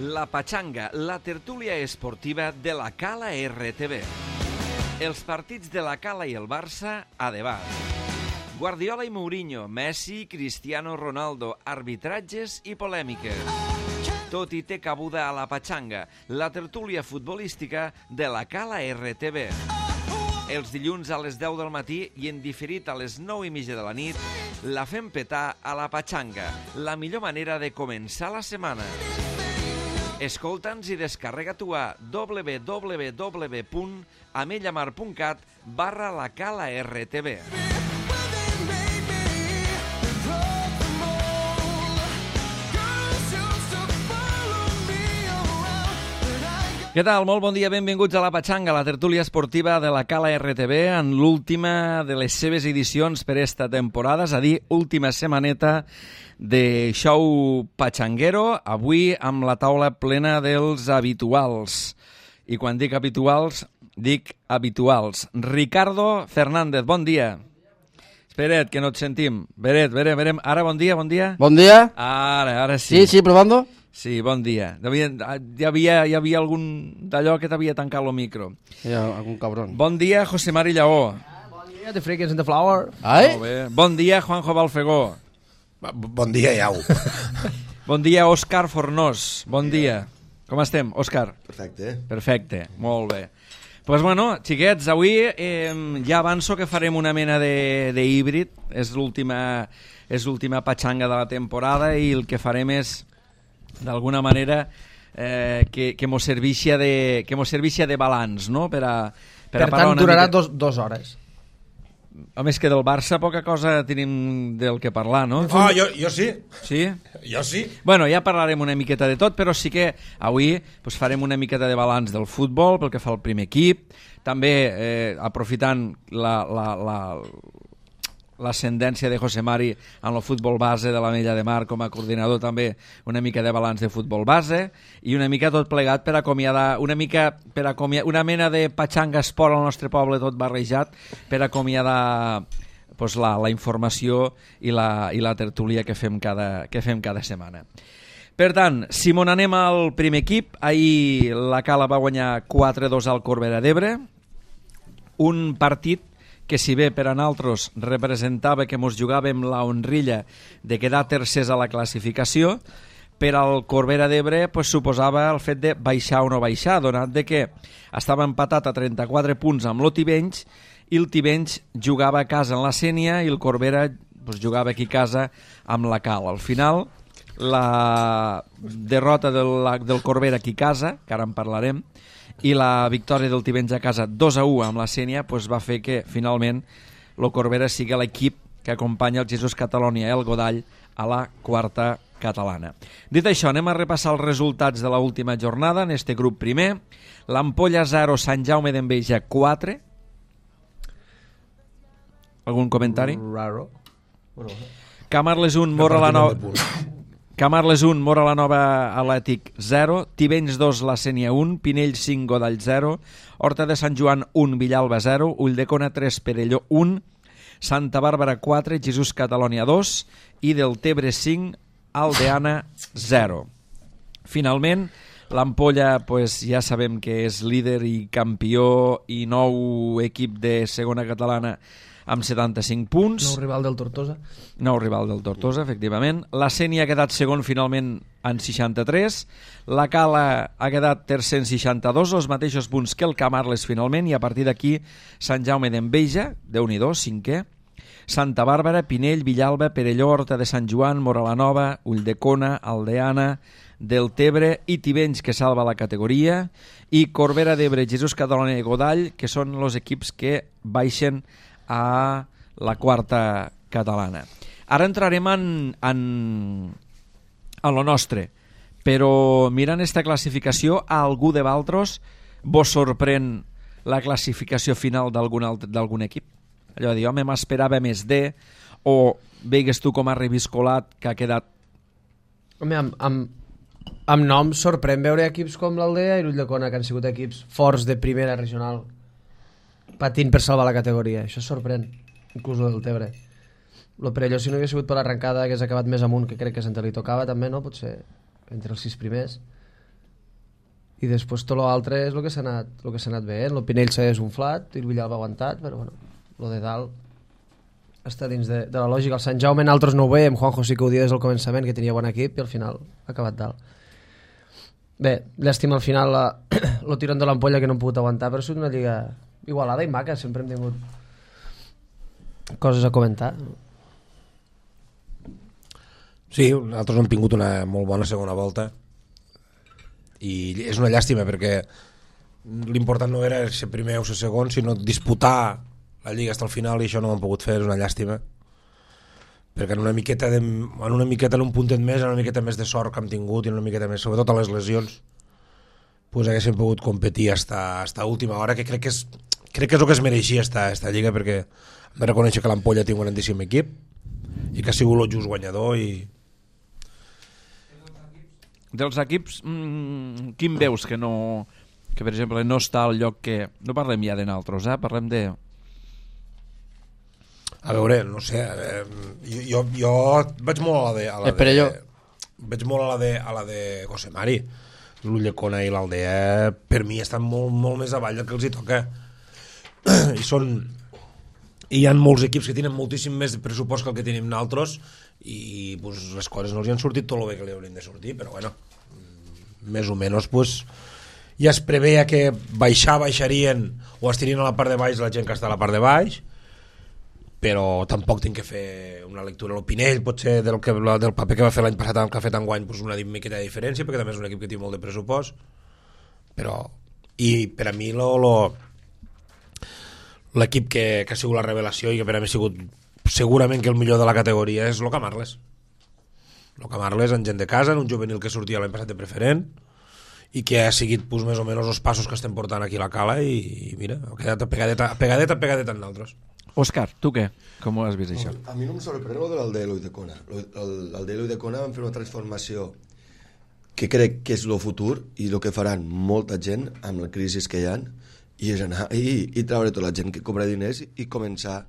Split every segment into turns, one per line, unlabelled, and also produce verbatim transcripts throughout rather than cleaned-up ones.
La Pachanga, la tertúlia esportiva de la Cala R T V. Els partits de la Cala i el Barça a debat. Guardiola i Mourinho, Messi, Cristiano Ronaldo, arbitratges i polèmiques. Tot hi té cabuda a la Pachanga, la tertúlia futbolística de la Cala R T V. Els dilluns a les deu del matí i en diferit a les nou i mitja de la nit, la fem petar a la Pachanga, la millor manera de començar la setmana. Escolta'ns i descarrega-t'ho a w w w punt amellamar punt cat barra la Cala R T V. Què tal? Molt bon dia, benvinguts a la Pachanga, la tertúlia esportiva de la Cala R T V, en l'última de les seves edicions per esta temporada, és a dir, última setmaneta de show pachanguero, avui amb la taula plena dels habituals. I quan dic habituals, dic habituals. Ricardo Fernández, bon dia. Espera't, que no et sentim. Beret, Beret, Beret. Ara, bon dia, bon dia.
Bon dia.
Ara, ara sí.
Sí, sí, probando.
Sí, bon dia. Devia, hi, havia, hi havia algun d'allò que t'havia tancat el micro.
Hi ha algun cabron.
Bon dia, José Mari Lleó.
Bon dia, The Freakers and the Flower.
Ai?
Molt bé. Bon dia, Juanjo Balfegó.
Bon dia, Iau.
Bon dia, Òscar Fornós. Bon dia. Com estem, Òscar?
Perfecte.
Perfecte, molt bé. Doncs, pues bueno, xiquets, avui eh, ja avanço que farem una mena de, de híbrid. És l'última és l'última patxanga de la temporada i el que farem és, d'alguna manera, eh, que, que mos servixi de, que mos servixi de balanç, no? Per, a, per,
per
a
tant, durarà
mica...
dos, dos hores.
A més que del Barça poca cosa tenim del que parlar, no?
Ah, jo, jo sí.
Sí?
Jo sí.
Bueno, ja parlarem una miqueta de tot, però sí que avui pues, farem una miqueta de balanç del futbol pel que fa al primer equip, també eh, aprofitant la... la, la l'ascendència de José Mari en el futbol base de l'Ametlla de Mar com a coordinador, també una mica de balanç de futbol base i una mica tot plegat per acomiadar una mica per acomiadar una mena de patxanga esport al nostre poble tot barrejat per acomiadar pues, la, la informació i la, i la tertúlia que fem cada, que fem cada setmana. Per tant, si mon anem al primer equip, ahir la Cala va guanyar quatre dos al Corbera d'Ebre, un partit que si bé per a nosaltres representava que mos jugàvem la honrilla de quedar tercers a la classificació, per al Corbera d'Ebre pues, suposava el fet de baixar o no baixar, donat de que estava empatat a trenta-quatre punts amb l'Otibenys i el Tivenys jugava a casa en la Sénia i el Corbera pues, jugava aquí a casa amb la Cal. Al final, la derrota del, del Corbera aquí a casa, que ara en parlarem, i la victòria del Tivenys a casa dos a u amb la Sénia pues, va fer que finalment el Corbera sigui l'equip que acompanya el Jesús Catalònia i el Godall a la quarta catalana. Dit això, anem a repassar els resultats de l'última jornada en este grup primer. l'Ampolla zero, Sant Jaume d'Enveja quatre. Algun comentari?
Raro.
Camarles un, Mora la Nova... Camarles un, Mora la Nova Atlètic zero, Tivenys dos, la Sénia un, Pinell cinc, Godall zero, Horta de Sant Joan un, Villalba zero, Ulldecona tres, Perelló un, Santa Bàrbara quatre, Jesús Catalònia dos i del Tebre cinc, Aldeana zero. Finalment, l'Ampolla pues, ja sabem que és líder i campió i nou equip de segona catalana amb setanta-cinc punts.
Nou rival del Tortosa.
Nou rival del Tortosa, efectivament. La Sénia ha quedat segon finalment en seixanta-tres. La Cala ha quedat tercer en seixanta-dos, els mateixos punts que el Camarles finalment, i a partir d'aquí Sant Jaume d'Enveja, Déu-n'hi-do, cinquè. Santa Bàrbara, Pinell, Villalba, Perelló, Horta de Sant Joan, Mora la Nova, Ulldecona, Aldeana, del Tebre i Tivenys, que salva la categoria, i Corbera d'Ebre, Jesús Catalònia i Godall, que són els equips que baixen a la quarta catalana. Ara entrarem en, en, en lo nostre, però mirant esta classificació, a algú de Valtros vos sorprèn la classificació final d'algun d'algun equip? Allò de dir, home, m'esperava més de, o veigues tu com a reviscolat que ha quedat...
Home, amb, amb, amb nom sorprèn veure equips com l'Aldea i l'Ulldecona, que han sigut equips forts de primera regional, patint per salvar la categoria. Això sorprèn, inclús el del Tebre. Lo Perelló, si no hagués sigut per l'arrencada, hagués acabat més amunt, que crec que se'n li tocava també, no? Potser entre els sis primers. i després tot l'altre és el que s'ha anat, el que s'ha anat bé. El Pinell s'ha desunflat i el Villalba ha aguantat, però bueno, el de dalt està dins de, de la lògica. El Sant Jaume nosaltres no ho veiem, Juanjo sí que ho dia des del començament, que tenia bon equip, i al final ha acabat dalt. Bé, llàstima al final la, lo tirón de l'ampolla que no hem pogut aguantar, però ha sigut una lliga igualada i maca, sempre hem tingut coses a comentar.
Sí, nosaltres hem tingut una molt bona segona volta i és una llàstima perquè l'important no era ser primer o ser segon, sinó disputar la lliga fins al final, i això no ho hem pogut fer, és una llàstima, perquè en una miqueta de, en una miqueta en un puntet més, en una miqueta més de sort que hem tingut i en una miqueta més, sobretot a les lesions, pues haguéssim pogut competir hasta, hasta última hora, que crec que és, crec que és el que es mereixia esta, esta lliga, perquè hem de reconèixer que l'Ampolla té un grandíssim equip i que ha sigut el just guanyador. I
dels equips, mmm, quin veus que no, que per exemple no està al lloc que... No parlem ja de naltros, eh? Parlem de...
A veure, no sé, eh, jo, jo vaig molt a la de... A la
Espera
de
jo.
Vaig molt a la de, a la de José Mari. L'Ulldecona i l'Aldea, per mi, estan molt, molt més avall del que els hi toca. I són... I hi ha molts equips que tenen moltíssim més pressupost que el que tenim nosaltres i pues, les coses no els hi han sortit tot el bé que li haurien de sortir, però bueno, més o menys pues, ja es preveia que baixar, baixarien o estirien a la part de baix la gent que està a la part de baix, però tampoc tinc que fer una lectura. El Pinell potser del, que, del paper que va fer l'any passat amb el que ha fet enguany pues, una miqueta de diferència, perquè també és un equip que té molt de pressupost, però i per a mi lo, lo, l'equip que, que ha sigut la revelació i que per a mi ha sigut segurament que el millor de la categoria és el Camarles. El Camarles en gent de casa, en un juvenil que sortia l'any passat de preferent i que ha seguit pues, més o menys els passos que estem portant aquí a la cala i, i mira, ha quedat pegadeta, pegadeta, pegadeta en nosaltres.
Òscar, tu què? Com ho has vist això?
A mi no em sorprèn el de l'Aldea i l'Ulldecona. L'Aldea i l'Ulldecona van fer una transformació que crec que és el futur i el que faran molta gent amb la crisi que hi ha, i és anar i, i treure tota la gent que cobra diners i començar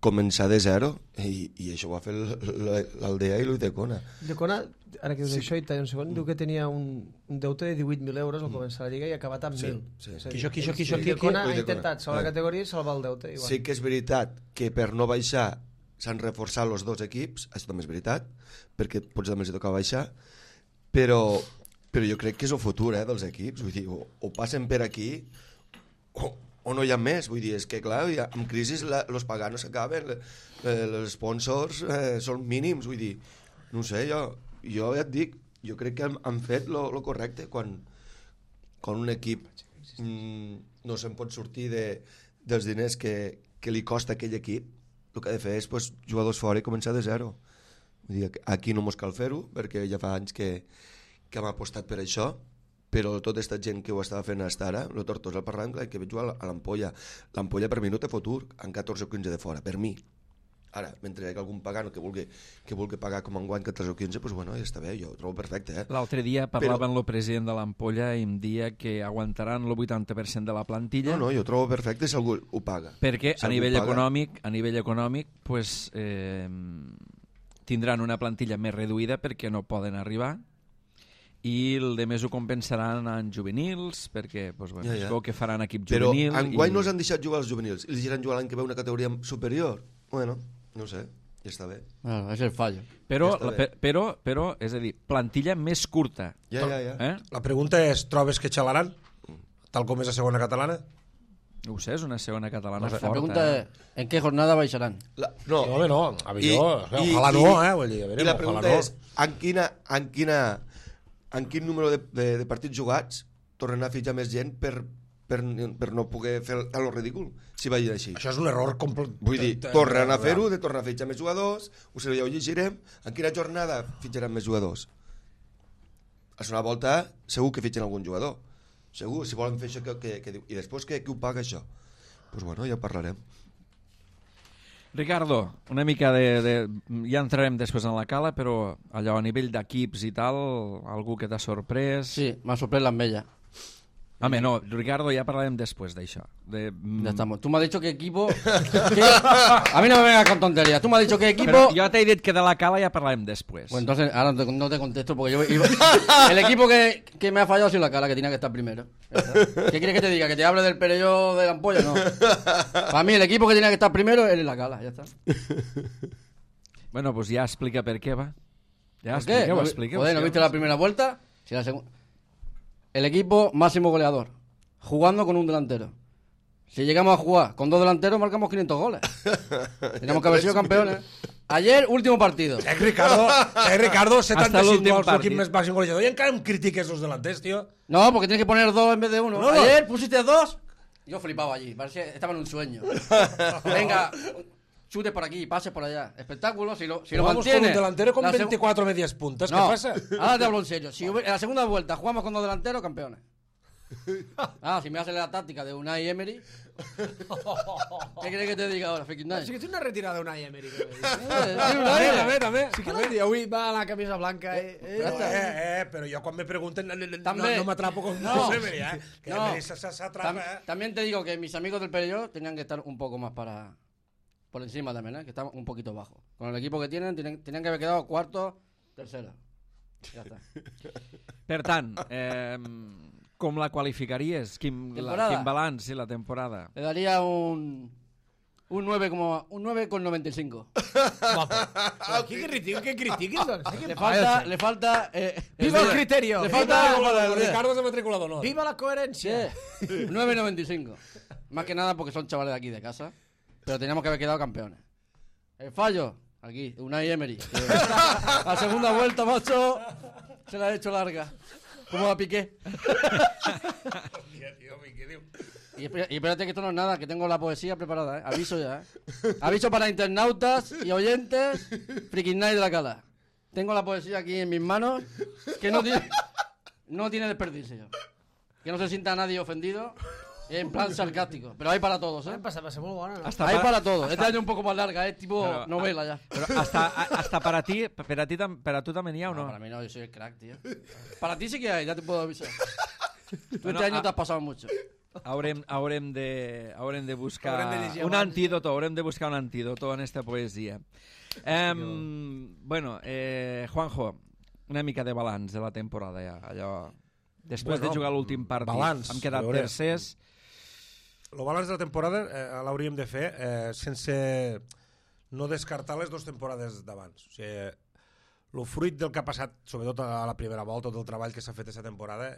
començar de zero, i, i això ho va fer l'Aldea i l'Ulldecona.
L'Ulldecona, ara que dius sí. això, i un segon, diu que tenia un, un deute de divuit mil euros al començar la Lliga i ha acabat amb
sí,
mil.
Sí.
Quixo, quixo, quixo, L'Ulldecona ha intentat salvar la categoria i salvar el deute. Igual.
Sí que és veritat que per no baixar s'han reforçat els dos equips, això també és veritat, perquè potser també els toca baixar, però, però jo crec que és el futur eh, dels equips, vull dir, o, o passen per aquí o, o no hi ha més, vull dir, és que clar, amb crisi els paganos s'acaben, els sponsors eh, són mínims, vull dir, no sé, jo, jo ja et dic, jo crec que han, han fet lo correcte quan, quan un equip mm, no se'n pot sortir de, dels diners que, que li costa aquell equip, el que ha de fer és pues, jugadors fora i començar de zero. Vull dir, aquí no mos cal fer-ho, perquè ja fa anys que, que hem apostat per això, però tota aquesta gent que ho estava fent fins ara, el Tortosa, el Parranc, que ve jugar a l'Ampolla. L'Ampolla per mi no té futur, en catorze o quinze de fora, per mi. Ara, mentre hi ha algun pagano que vulgui, que vulgui pagar com enguany catorze o quinze, doncs bueno, ja està bé, jo ho trobo perfecte. Eh?
L'altre dia parlava
però...
amb el president de l'Ampolla i em dia que aguantaran el vuitanta per cent de la plantilla.
No, no, jo ho trobo perfecte si algú ho paga.
Perquè
si
a nivell
paga...
econòmic, a nivell econòmic, pues, eh, tindran una plantilla més reduïda perquè no poden arribar, i el de més ho compensaran en juvenils, perquè pues, bueno, ja, ja. que faran equip juvenil.
Però enguany
i...
no els han deixat jugar els juvenils, i els diran jugar l'any que ve una categoria superior. Bueno, no sé, ja està bé.
Bueno, és el fallo.
Però,
ja
la, però, però, és a dir, plantilla més curta.
Ja, ja, ja.
Eh?
La pregunta és, trobes que xalaran? Tal com és a segona catalana?
No ho sé, és una segona catalana
La
forta.
pregunta
eh?
és, ¿en què jornada baixaran?
La, no,
No, home, no, a mi jo,
I-
ojalà
i-
no, eh? Vull dir, a veure,
I la pregunta
ojalà no.
és, en quina, en quina, en quin número de, de, de partits jugats tornen a fitxar més gent per, per, per no poder fer el, el ridícul, si vagi així.
Això és un error complet.
Vull dir, tornen a fer-ho, de tornar a fitxar més jugadors, ho sé, ja ho llegirem, en quina jornada fitxaran més jugadors? A una volta segur que fitxen algun jugador, segur, si volen fer això que, que, que diu, i després que, qui ho paga això? Doncs pues bueno, ja parlarem.
Ricardo, una mica de, de... Ja entrarem després en la cala, però allò a nivell d'equips i tal, algú que t'ha sorprès...
Sí, m'ha sorprès l'Ametlla.
Home, no, Ricardo, ya parlarem después d'això. De, mm,
Ya estamos. Tú me has dicho qué equipo... ¿Qué? A mí no me vengas con tonterías. Tú me has dicho qué equipo...
Però jo t'he dit que de la Cala ja parlarem després.
Pues entonces, ahora no te, no te contesto porque yo iba- el equipo que, que me ha fallado ha sido la Cala, que tenía que estar primero. Ya está. ¿Qué quieres que te diga? ¿Que te hable del Perelló de la ampolla? No. Para mí el equipo que tenía que estar primero es la Cala, ya está.
Bueno, pues ja explica per què, va. Ja
¿Por qué?
expliqueu,
¿No, vi-
expliqueu.
joder, ¿no
sí,
viste
home.
la primera vuelta? Sí, la segunda. El equipo máximo goleador, jugando con un delantero. Si llegamos a jugar con dos delanteros, marcamos quinientos goles. Tenemos que haber sido campeones. Ayer, último partido.
Eh, Ricardo, eh, Ricardo setanta-cinc
l'últim
gols, l'equip
partit.
més màxim golejador. I encara em critiques els delanters, tio.
No, porque tienes que poner dos en vez de uno.
No, no.
Ayer pusiste dos. Yo flipaba allí, parecía estaba en un sueño. Venga, chutes por aquí, pases por allá. Espectáculo, si lo, si lo
Jugamos con
mantiene.
un delantero con
la seg-
veinticuatro medias puntas.
No,
¿Qué pasa?
ahora te hablo en serio. Si hubiera- en la segunda vuelta jugamos con dos delanteros, campeones. Ah, si me hace la táctica de Unai Emery. ¿Qué crees que te diga ahora, Freaking Night?
Sí que té una retirada d'Unai Emery. Que
Eh,
sí,
sí, Unai Emery.
també.
sí que l'han dit, avui va a la camisa blanca. Eh, eh.
Ja
No,
està.
eh, eh, però jo quan me pregunten no, no,
També.
no m'atrapo con
No.
no. Emery, eh? Que
No.
Emery se- se- s'atrapa,
Tam-
eh?
También te digo que mis amigos del Perelló tenían que estar un poco más para por encima también, ¿eh? Que están un poquito bajo. Con el equipo que tienen, tienen tenían que haber quedado cuarto, tercero. Ya está.
Per tant, eh, com la qualificaries? Quin, la,
Temporada.
quin balanç, sí, la temporada?
Le daría un un nueve como un nueve con noventa y cinco.
Però qui critiqui, què critiquis, doncs? Eh,
Le
què
falta
passa?
le falta eh,
Viva el criterio!
Le
Viva,
falta
Matriculador, Ricardo és de matriculador, no?
viva la coherència!
Sí, nueve noventa y cinco. Más que nada porque son chavales de aquí de casa, pero teníamos que haber quedado campeones. El fallo, aquí, Unai Emery. que La segunda vuelta, macho, se la ha hecho larga. Como a Piqué.
Hòstia, tio, què diu?
Y espera- y espérate que esto no es nada, que tengo la poesía preparada, ¿eh? Aviso ya, ¿eh? Aviso para internautas y oyentes, Freaking Night de la Cala. Tengo la poesía aquí en mis manos, que no tiene, no tiene desperdicio. Que no se sienta nadie ofendido, en plan sarcástico. Pero hay para todos, ¿eh?
Em passa, va ser molt bona, no?
Hasta
Hay
pa-
para todos. Este año un poco más larga, es tipo
Pero,
novela ya.
Però hasta, a- hasta per a ti, per a ti, tam- per a tu també n'hi ha o
No,
no?
para mí no, yo soy el crack, tío. Para ti sí que hay, ya te puedo avisar. Tú
Bueno,
este año
a-
te has pasado mucho.
Haurem, haurem, de, haurem de buscar
Haurem de llegir
un
abans.
antídoto, haurem de buscar un antídoto en esta poesia. Um, bueno, eh, Juanjo, una mica de balanç de la temporada ja, allò... Després
Bueno,
de jugar l'últim partit,
balanç,
hem quedat
a veure.
tercers.
El balanç de la temporada eh, l'hauríem de fer eh, sense no descartar les dues temporades d'abans. O sigui, el fruit del que ha passat, sobretot a la primera volta, tot el treball que s'ha fet aquesta temporada,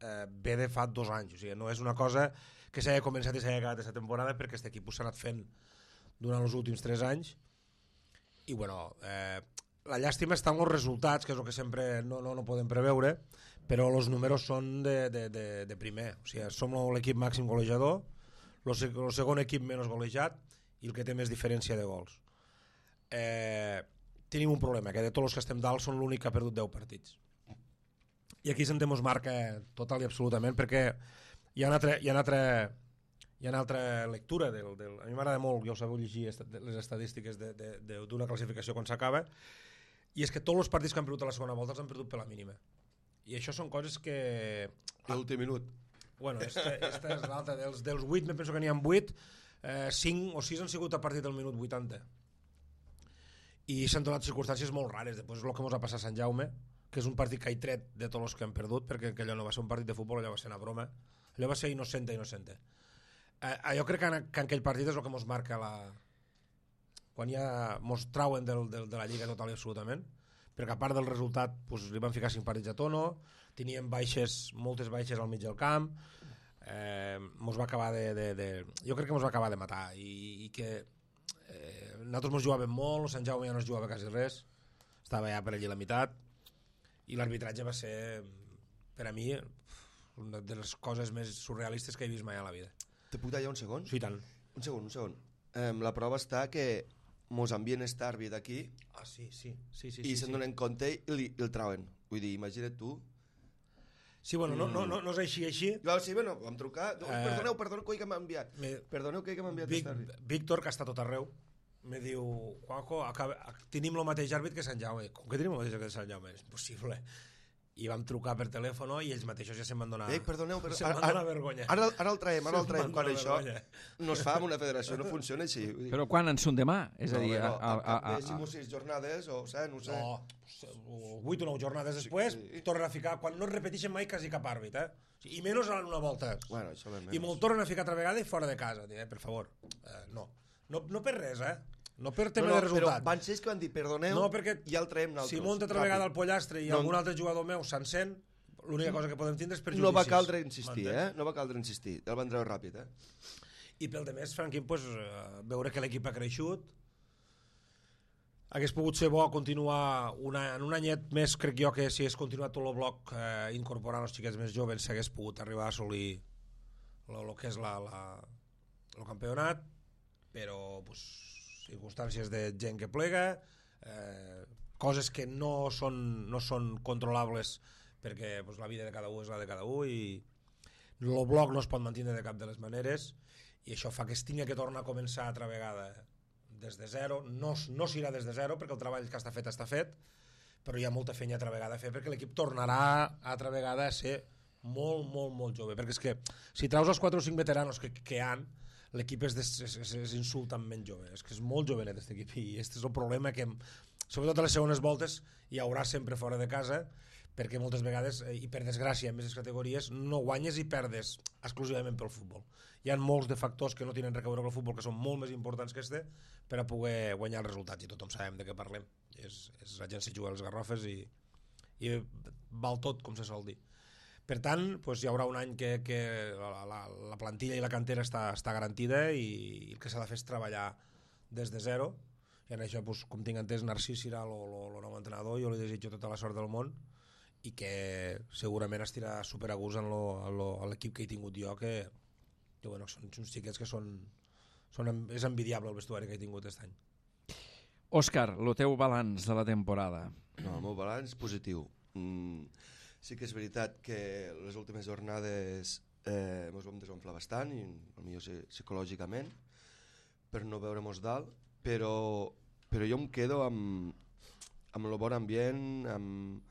eh, ve de fa dos anys. O sigui, no és una cosa que s'hagi començat i s'hagi acabat aquesta temporada, perquè aquest equip s'ha anat fent durant els últims tres anys. I, bueno, eh, la llàstima està en els resultats, que és el que sempre no, no, no podem preveure, però els números són de, de, de, de primer. O sigui, som l'equip màxim golejador, el segon equip menys golejat i el que té més diferència de gols. Eh, tenim un problema, que de tots els que estem dalt són l'únic que ha perdut deu partits. I aquí sentem us marca total i absolutament, perquè hi ha una altra, hi ha una altra, hi ha una altra lectura. Del, del, a mi m'agrada molt, ja ho sabeu, llegir est les estadístiques d'una classificació quan s'acaba, i és que tots els partits que han perdut a la segona volta els han perdut per la mínima. I això són coses que...
L'últim minut.
Bueno, esta, esta és l'altra. Dels, dels vuit, me penso que n'hi ha vuit, eh, cinc o sis han sigut a partir del minut vuitanta. I s'han donat circumstàncies molt rares. Després és el que ens ha passat a Sant Jaume, que és un partit que he tret de tots els que han perdut, perquè allò no va ser un partit de futbol, allò va ser una broma. Allò va ser innocente, innocente. Eh, jo crec que en, que en aquell partit és el que ens marca la... quan ja ens trauen del, del, de la Lliga total i absolutament, perquè a part del resultat pues, li van ficar cinc partits a tono, teníem baixes, moltes baixes al mig del camp, eh, mos va acabar de, de, de... jo crec que ens va acabar de matar, i, i que eh, nosaltres ens jugàvem molt, Sant Jaume ja no es jugava quasi res, estava ja per allí la meitat, i l'arbitratge va ser, per a mi, una de les coses més surrealistes que he vist mai a la vida.
Te puc tallar un segon?
Sí, tant.
Un segon, un segon. Eh, la prova està que mos envien este àrbit aquí
Ah, sí, sí, sí, sí,
i
sí,
se'n
sí.
donen compte i, li, i el trauen. Vull dir, imagina't tu.
Sí, bueno, no, no, no, no és així, així.
Jo, sí, bueno, vam trucar. No,
Eh,
perdoneu, perdoneu que m'ha enviat.
Me-
Perdoneu que m'ha enviat
Vic,
aquest àrbit.
Víctor, que està tot arreu, me diu, Juanjo, acaba, tenim el mateix àrbit que Sant Jaume. Com que tenim el mateix àrbit que Sant Jaume? És impossible. i vam trucar per telèfon i ells mateixos ja se'n van donar...
Ei, perdoneu, però...
se'n van donar vergonya.
Ara, ara el traiem, ara el
Se'n
traiem.
van
Quan
donar
això
vergonya.
no es fa amb una federació, no funciona així. Vull dir,
Però quan en són demà? És a
no,
dir,
no,
a, a,
al cap
a,
de cinc o
a,
sis jornades, o sé, no sé.
No, vuit o nou jornades després,
sí.
tornen a ficar, quan no es repeteixen mai quasi cap àrbit, eh? I menys en una volta.
Bueno, això ben
I me'l tornen a ficar altra vegada i fora de casa, eh? Per favor. Eh, no. no. No per res, eh? No per tema
no, no,
de resultat.
Però van ser ells que van dir, perdoneu,
no, perquè
i el traiem nosaltres.
Si munta altra vegada el pollastre i
no,
algun altre jugador meu s'encén, l'única cosa que podem tindre és perjudicis.
No va caldre insistir, eh? No va caldre insistir. El van treure ràpid, eh?
I pel de més, Franquín, pues, veure que l'equip ha creixut, hagués pogut ser bo continuar una, en un anyet més, crec jo que si hagués continuat tot el bloc eh, incorporant els xiquets més joves s'hagués pogut arribar a assolir el que és la, la, el campionat, però pues, circumstàncies de gent que plega, eh, coses que no són, no són controlables perquè pues, la vida de cada un és la de cada un i el bloc no es pot mantenir de cap de les maneres i això fa que es tingui que tornar a començar altra vegada des de zero, no, no s'irà des de zero perquè el treball que està fet està fet, però hi ha molta feina altra vegada a fer perquè l'equip tornarà altra vegada a ser molt, molt, molt jove, perquè és que si traus els quatre o cinc veteranos que, que hi han, l'equip és, és, és, és insultantment jove, és que és molt jovenet aquest equip i aquest és el problema que sobretot a les segones voltes hi haurà sempre fora de casa perquè moltes vegades, i per desgràcia en més categories, no guanyes i perdes exclusivament pel futbol. Hi ha molts de factors que no tenen res a veure amb el futbol que són molt més importants que este per a poder guanyar els resultats i tothom sabem de què parlem, és, és la gent se juga a les garrofes i, i val tot com se sol dir. Per tant, doncs hi haurà un any que, que la, la, la plantilla i la cantera està, està garantida i, i el que s'ha de fer és treballar des de zero i en això, doncs, com tinc entès, Narcís serà el nou entrenador, jo li desitjo tota la sort del món i que segurament estirà super a gust en, lo, en, lo, en l'equip que he tingut jo que, que bueno, són uns xiquets que són, són és envidiable el vestuari que he tingut aquest any.
Òscar, el teu balanç de la temporada.
No, el meu balanç positiu. Mm, sí que és veritat que les últimes jornades eh, ens vam desenflar bastant i potser psicològicament per no veure-nos dalt, però, però jo em quedo amb, amb el bon ambient, amb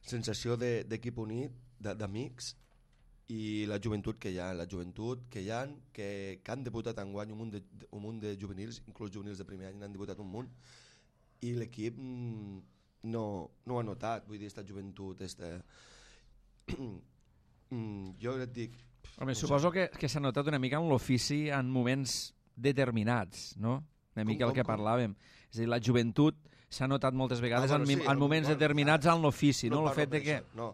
sensació d'equip de, unit, d'amics i la joventut que hi ha, la joventut que hi ha, que, que han debutat enguany un munt, de, un munt de juvenils, inclús juvenils de primer any han debutat un munt i l'equip mm, no, no ho ha notat, vull dir, aquesta joventut, esta... mm, jo et dic...
Home,
no
suposo
sé.
que, que s'ha notat una mica en l'ofici en moments determinats, no? Una mica
Com,
el que
com, com?
parlàvem. És a dir, la joventut s'ha notat moltes vegades
Ah, bueno,
en,
sí,
en moments
bueno,
determinats
ah,
en l'ofici, no? El
parlo
fet de
per
que...
això, no.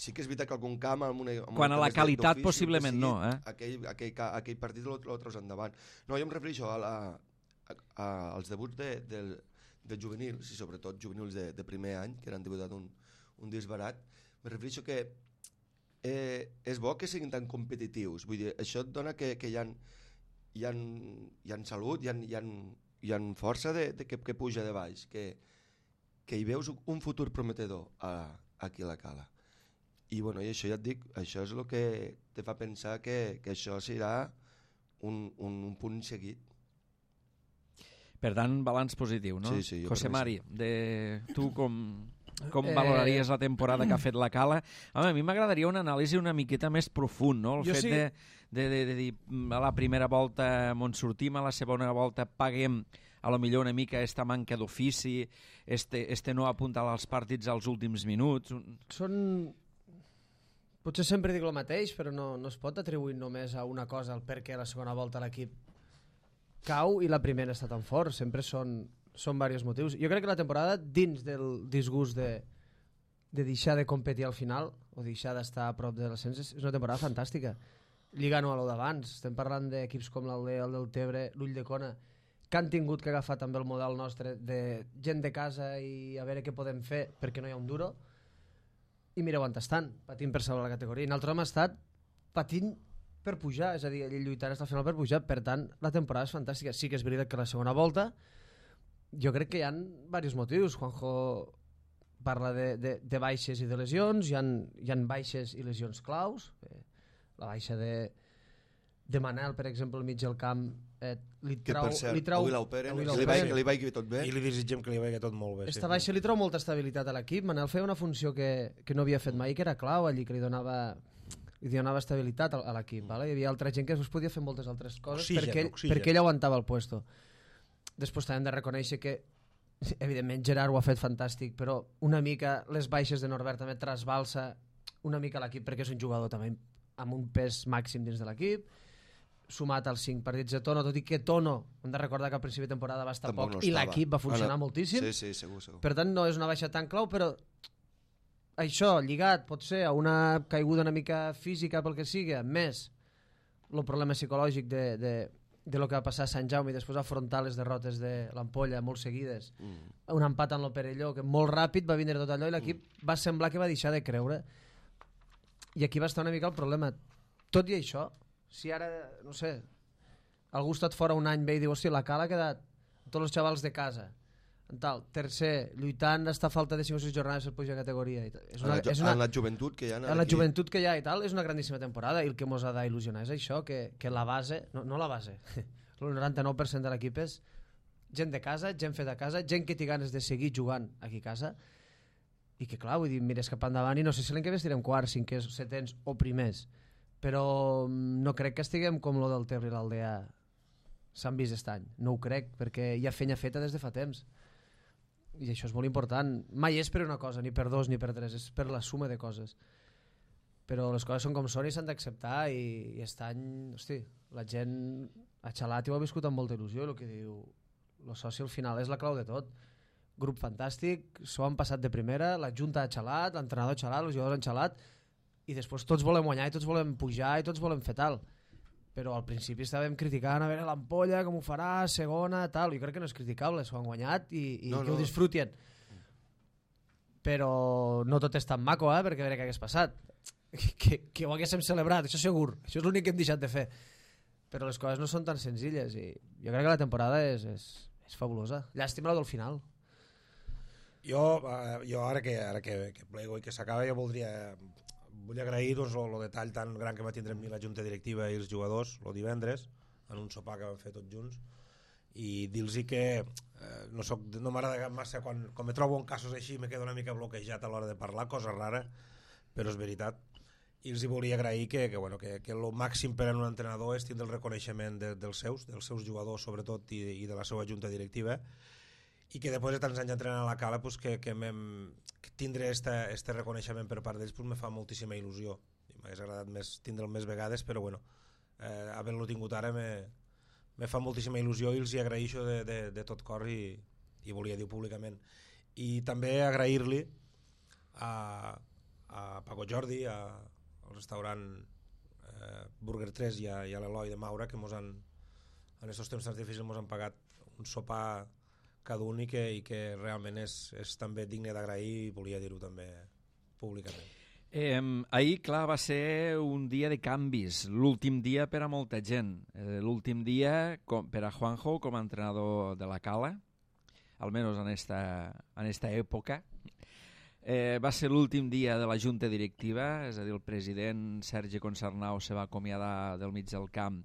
Sí que és veritat que algun camp... Amb una, amb
Quan
una
a la
més de-
qualitat
d'ofici,
possiblement
que sigui,
no, eh?
Aquell, aquell, ca- aquell partit lo, lo treus endavant. No, jo em refereixo a la, a, a, als debuts de, de, de juvenils, i sobretot juvenils de, de primer any, que han debutat un, un disbarat. Me refereixo que eh, és bo que siguin tan competitius. Vull dir, això et dona que, que hi ha, hi ha, hi ha salut, hi ha, hi ha, hi ha força de, de que, que puja de baix, que, que hi veus un futur prometedor a, aquí a la Cala. I, bueno, i això ja et dic, això és el que te fa pensar que, que això serà un, un, un punt seguit.
Per tant, balanç positiu, no?
Sí, sí, jo
José
crec que
Mari, de, tu com, com
Eh,
valoraries la temporada que ha fet la Cala? Home, a mi m'agradaria una anàlisi una miqueta més profund, no? El
Jo
fet
sí.
de, de, de, de dir, a la primera volta on sortim, a la segona volta paguem a lo millor una mica esta manca d'ofici, este, este no apuntar als partits als últims minuts... Un...
Són... Potser sempre dic el mateix, però no, no es pot atribuir només a una cosa el perquè la segona volta l'equip cau i la primera està tan fort. Sempre són, són diversos motius. Jo crec que la temporada, dins del disgust de, de deixar de competir al final o deixar d'estar a prop de l'ascens, és una temporada fantàstica. Lliga no a lo d'abans. Estem parlant d'equips com l'Aldea, el del Tebre, l'Ull de Cona, que han tingut que agafar també el model nostre de gent de casa i a veure què podem fer perquè no hi ha un duro. I mireu on estan, patint per salvar la categoria. I nosaltres hem estat patint per pujar, és a dir, lluitant fins al final per pujar. Per tant, la temporada és fantàstica. Sí que és veritat que la segona volta jo crec que hi ha diversos motius. Juanjo parla de, de, de baixes i de lesions, hi ha, hi ha baixes i lesions claus. Eh, la baixa de, de Manel, per exemple, al mig del camp, eh, li
Que
trau...
per cert,
li trau,
avui l'operen,
avui
que li
l'operen.
vagi- que li vagi tot bé.
I li desitgem que li vagi tot molt bé.
Esta baixa li trau molta estabilitat a l'equip. Manel feia una funció que, que no havia fet mai, que era clau allí, que li donava li donava estabilitat a, a l'equip. Vale? Hi havia altra gent que es podia fer moltes altres coses
Oxigen,
perquè, ell,
oxigen.
perquè ell aguantava el puesto. Després també hem de reconèixer que evidentment Gerard ho ha fet fantàstic, però una mica les baixes de Norbert també trasbalsa una mica l'equip, perquè és un jugador també amb un pes màxim dins de l'equip, sumat als cinc partits de Tono, tot i que Tono, hem de recordar que al principi de temporada va estar
Tampoc
poc
no
i
estava.
l'equip va funcionar
Ah, no.
moltíssim.
Sí, sí, segur, segur.
Per tant, no és una baixa tan clau, però això, lligat, pot ser a una caiguda una mica física pel que sigui, més el problema psicològic de, de, de lo que va passar a Sant Jaume i després afrontar les derrotes de l'Ampolla molt seguides, mm. un empat en l'Operelló que molt ràpid va vindre tot allò i l'equip mm. va semblar que va deixar de creure, i aquí va estar una mica el problema. Tot i això, si ara, no sé, algú ha estat fora un any bé i diu, hòstia, la Cala ha quedat tots els xavals de casa tal, tercer, lluitant està a falta de cinc o sis jornades per pujar categoria i tal. És una,
en, la,
és una,
en la joventut que hi ha
en la joventut que hi ha i tal, és una grandíssima temporada, i el que mos ha d'il·lusionar és això, que, que la base, no, no la base, el noranta-nou per cent de l'equip és gent de casa, gent feta a casa, gent que té ganes de seguir jugant aquí a casa, i que clar, vull dir, mires cap endavant i no sé si l'any que ve estirem quarts, cinquers, setens o primers, però no crec que estiguem com lo del Ter i l'Aldea s'han vist aquest any, no ho crec, perquè hi ha feina feta des de fa temps, i això és molt important. Mai és per una cosa, ni per dos ni per tres, és per la suma de coses, però les coses són com són i s'han d'acceptar, i, i aquest any, hosti, la gent a Xalat ho ha viscut amb molta il·lusió, el que diu el soci al final és la clau de tot. Grup fantàstic, s'ho han passat de primera, la junta ha xalat, l'entrenador ha xalat, els jugadors han xalat, i després tots volem guanyar i tots volem pujar i tots volem fer tal, però al principi estàvem criticant a veure l'Ampolla com ho farà, segona, tal. Jo crec que no és criticable, s'ho han guanyat i, i
no,
que
no.
ho disfrutien, però no tot és tan maco, eh, perquè a veure què hagués passat, que, que ho haguéssim celebrat, això segur, això és l'únic que hem deixat de fer, però les coses no són tan senzilles, i jo crec que la temporada és, és, és fabulosa. Llàstima la del final.
Jo, eh, jo ara que, ara que, que plego i que s'acaba, jo voldria vull agrair doncs, el detall tan gran que va tindre amb mi la junta directiva i els jugadors el divendres, en un sopar que vam fer tots junts, i dir-los que eh, no, soc, no m'agrada massa quan, quan me trobo en casos així me quedo una mica bloquejat a l'hora de parlar, cosa rara, però és veritat, i els hi volia agrair que, que, bueno, que, que el màxim per a un entrenador és tindre el reconeixement de, dels seus, dels seus jugadors sobretot, i, i de la seva junta directiva, i que després de tants anys entrenant a la Cala pues, que, que, que tindre este, este reconeixement per part d'ells pues, me fa moltíssima il·lusió. M'hagués agradat més, tindre'l més vegades, però bueno, eh, havent-lo tingut ara me, me fa moltíssima il·lusió i els hi agraeixo de, de, de tot cor, i, i volia dir públicament. I també agrair-li a, a Paco Jordi, a, al restaurant eh, Burger tres i a, i a l'Eloi de Maura, que mos han, en aquests temps tan difícils mos han pagat un sopar cada un, i que, i que realment és, és també digne d'agrair, i volia dir-ho també públicament.
Eh, ahir, clar, va ser un dia de canvis, l'últim dia per a molta gent, eh, l'últim dia com, per a Juanjo com a entrenador de la Cala, almenys en esta, en esta època. Eh, va ser l'últim dia de la junta directiva, és a dir, el president Sergi Concernau se va acomiadar del mig del camp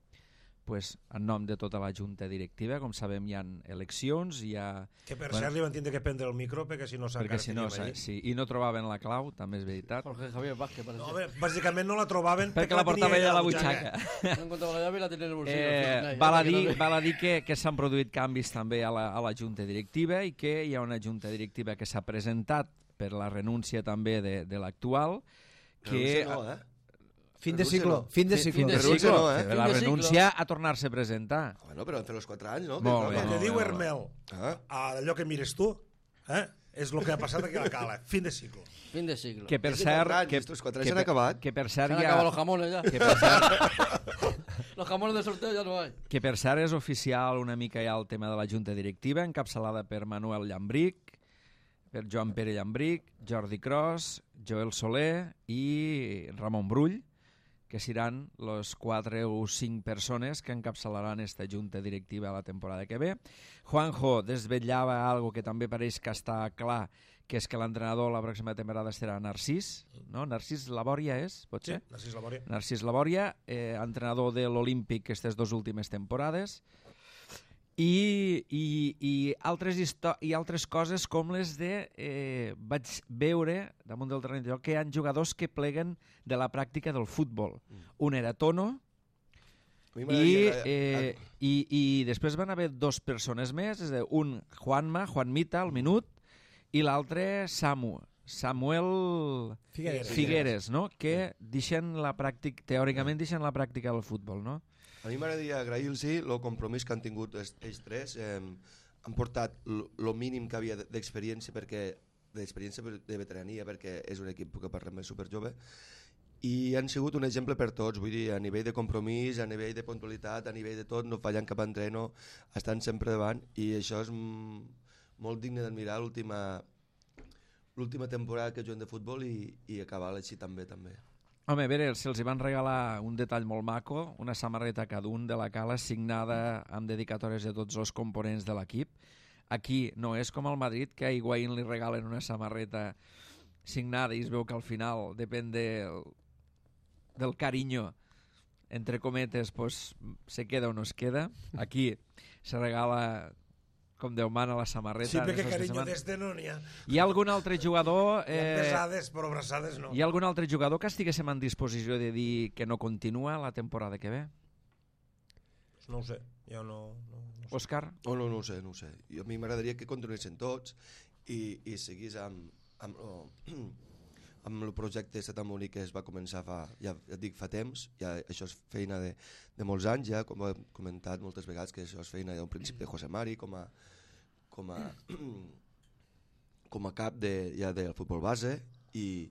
pues, en nom de tota la junta directiva. Com sabem, hi ha eleccions, hi ha...
Que per
bueno,
cert li van tindre que prendre el micro perquè si no
perquè si no, sí, i no trobaven la clau, també és veritat.
Jorge Javier Vázquez, per
no,
exemple.
bé, bàsicament no la trobaven
perquè la portava ella a la butxaca.
No encontrava la llave i la tenia en el bolsillo.
Eh, val a dir, val a dir que, que s'han produït canvis també a la, a la junta directiva, i que hi ha una junta directiva que s'ha presentat per la renúncia també de, de l'actual, que...
No, eh?
Fin de ciclo, fin de ciclo.
Fin de
Renúncia
ciclo,
no, eh?
que
Fin
la
de ciclo.
renúncia a tornar-se a presentar.
Bueno, però han fet els quatre anys, no?
Molt bé.
El que diu Hermel,
Ah.
a allò que mires tu, eh, és el que ha passat aquí a la Cala, fin de ciclo.
Fin de siglo.
Que per
És de
cert...
quatre anys,
que,
estos quatre anys
que,
s'han acabat.
que per cert
Se han
ja...
acabado los jamones ya.
Que per cert,
Los jamones de sorteo ya no hay.
que per cert és oficial una mica ja el tema de la junta directiva, encapçalada per Manuel Llambric, per Joan Pere Llambric, Jordi Cros, Joel Soler i Ramon Brull, que seran los quatre o cinc persones que encapçalaran esta junta directiva la temporada que ve. Juanjo desvetllava algo que també pareix que està clar, que és que l'entrenador la pròxima temporada serà Narcís, no? Narcís Labòria és, pot
Sí,
ser?
Narcís Labòria.
Narcís Labòria, eh, entrenador de l'Olímpic aquestes dues últimes temporades, i, i, i, altres i altres coses com les de... Eh, vaig veure, damunt del terreny de joc, que hi ha jugadors que pleguen de la pràctica del futbol. Un era Tono,
A mi
i,
m'agradaria-
eh, i, i després van haver dos persones més, és a dir, un Juanma, Juanmita, al minut, i l'altre Samu, Samuel
Figueres.
Figueres, no? Que deixen la pràctica, teòricament deixen la pràctica del futbol, no?
A mi m'agradaria agrair-los el compromís que han tingut els, ells tres. Eh, han portat el mínim que havia d'experiència, perquè d'experiència de veterania, perquè és un equip que parlem és superjove, i han sigut un exemple per tots, vull dir, a nivell de compromís, a nivell de puntualitat, a nivell de tot, no fallant cap entreno, estan sempre davant, i això és mm, molt digne d'admirar l'última l'última temporada que juguen de futbol i, i acabar així també, també.
Home, a veure, se'ls van regalar un detall molt maco, una samarreta cada un de la Cala signada amb dedicatòries de tots els components de l'equip. Aquí no és com al Madrid, que a Higuaín li regalen una samarreta signada i es veu que al final depèn del, del carinyo, entre cometes, pues, se queda o no es queda. Aquí se regala com Déu mana la samarreta.
Sí, perquè
Aquestes
carinyo
setmanes.
des de no n'hi ha.
Hi ha algun altre jugador...
Hi ha
Eh,
besades, però abraçades no.
hi ha algun altre jugador que estiguéssim en disposició de dir que no continua la temporada que ve?
No ho sé, jo no... no, no sé.
Òscar?
Oh, no, no ho sé, no ho sé. Jo, a mi m'agradaria que continuessin tots i, i seguís amb, amb, oh, amb el projecte este tan bonic que es va començar fa, ja, ja et dic, fa temps, ja, això és feina de, de molts anys, ja, com he comentat moltes vegades, que això és feina d'un principi de José Mari, com a, com a, com a cap de, ja del futbol base, i,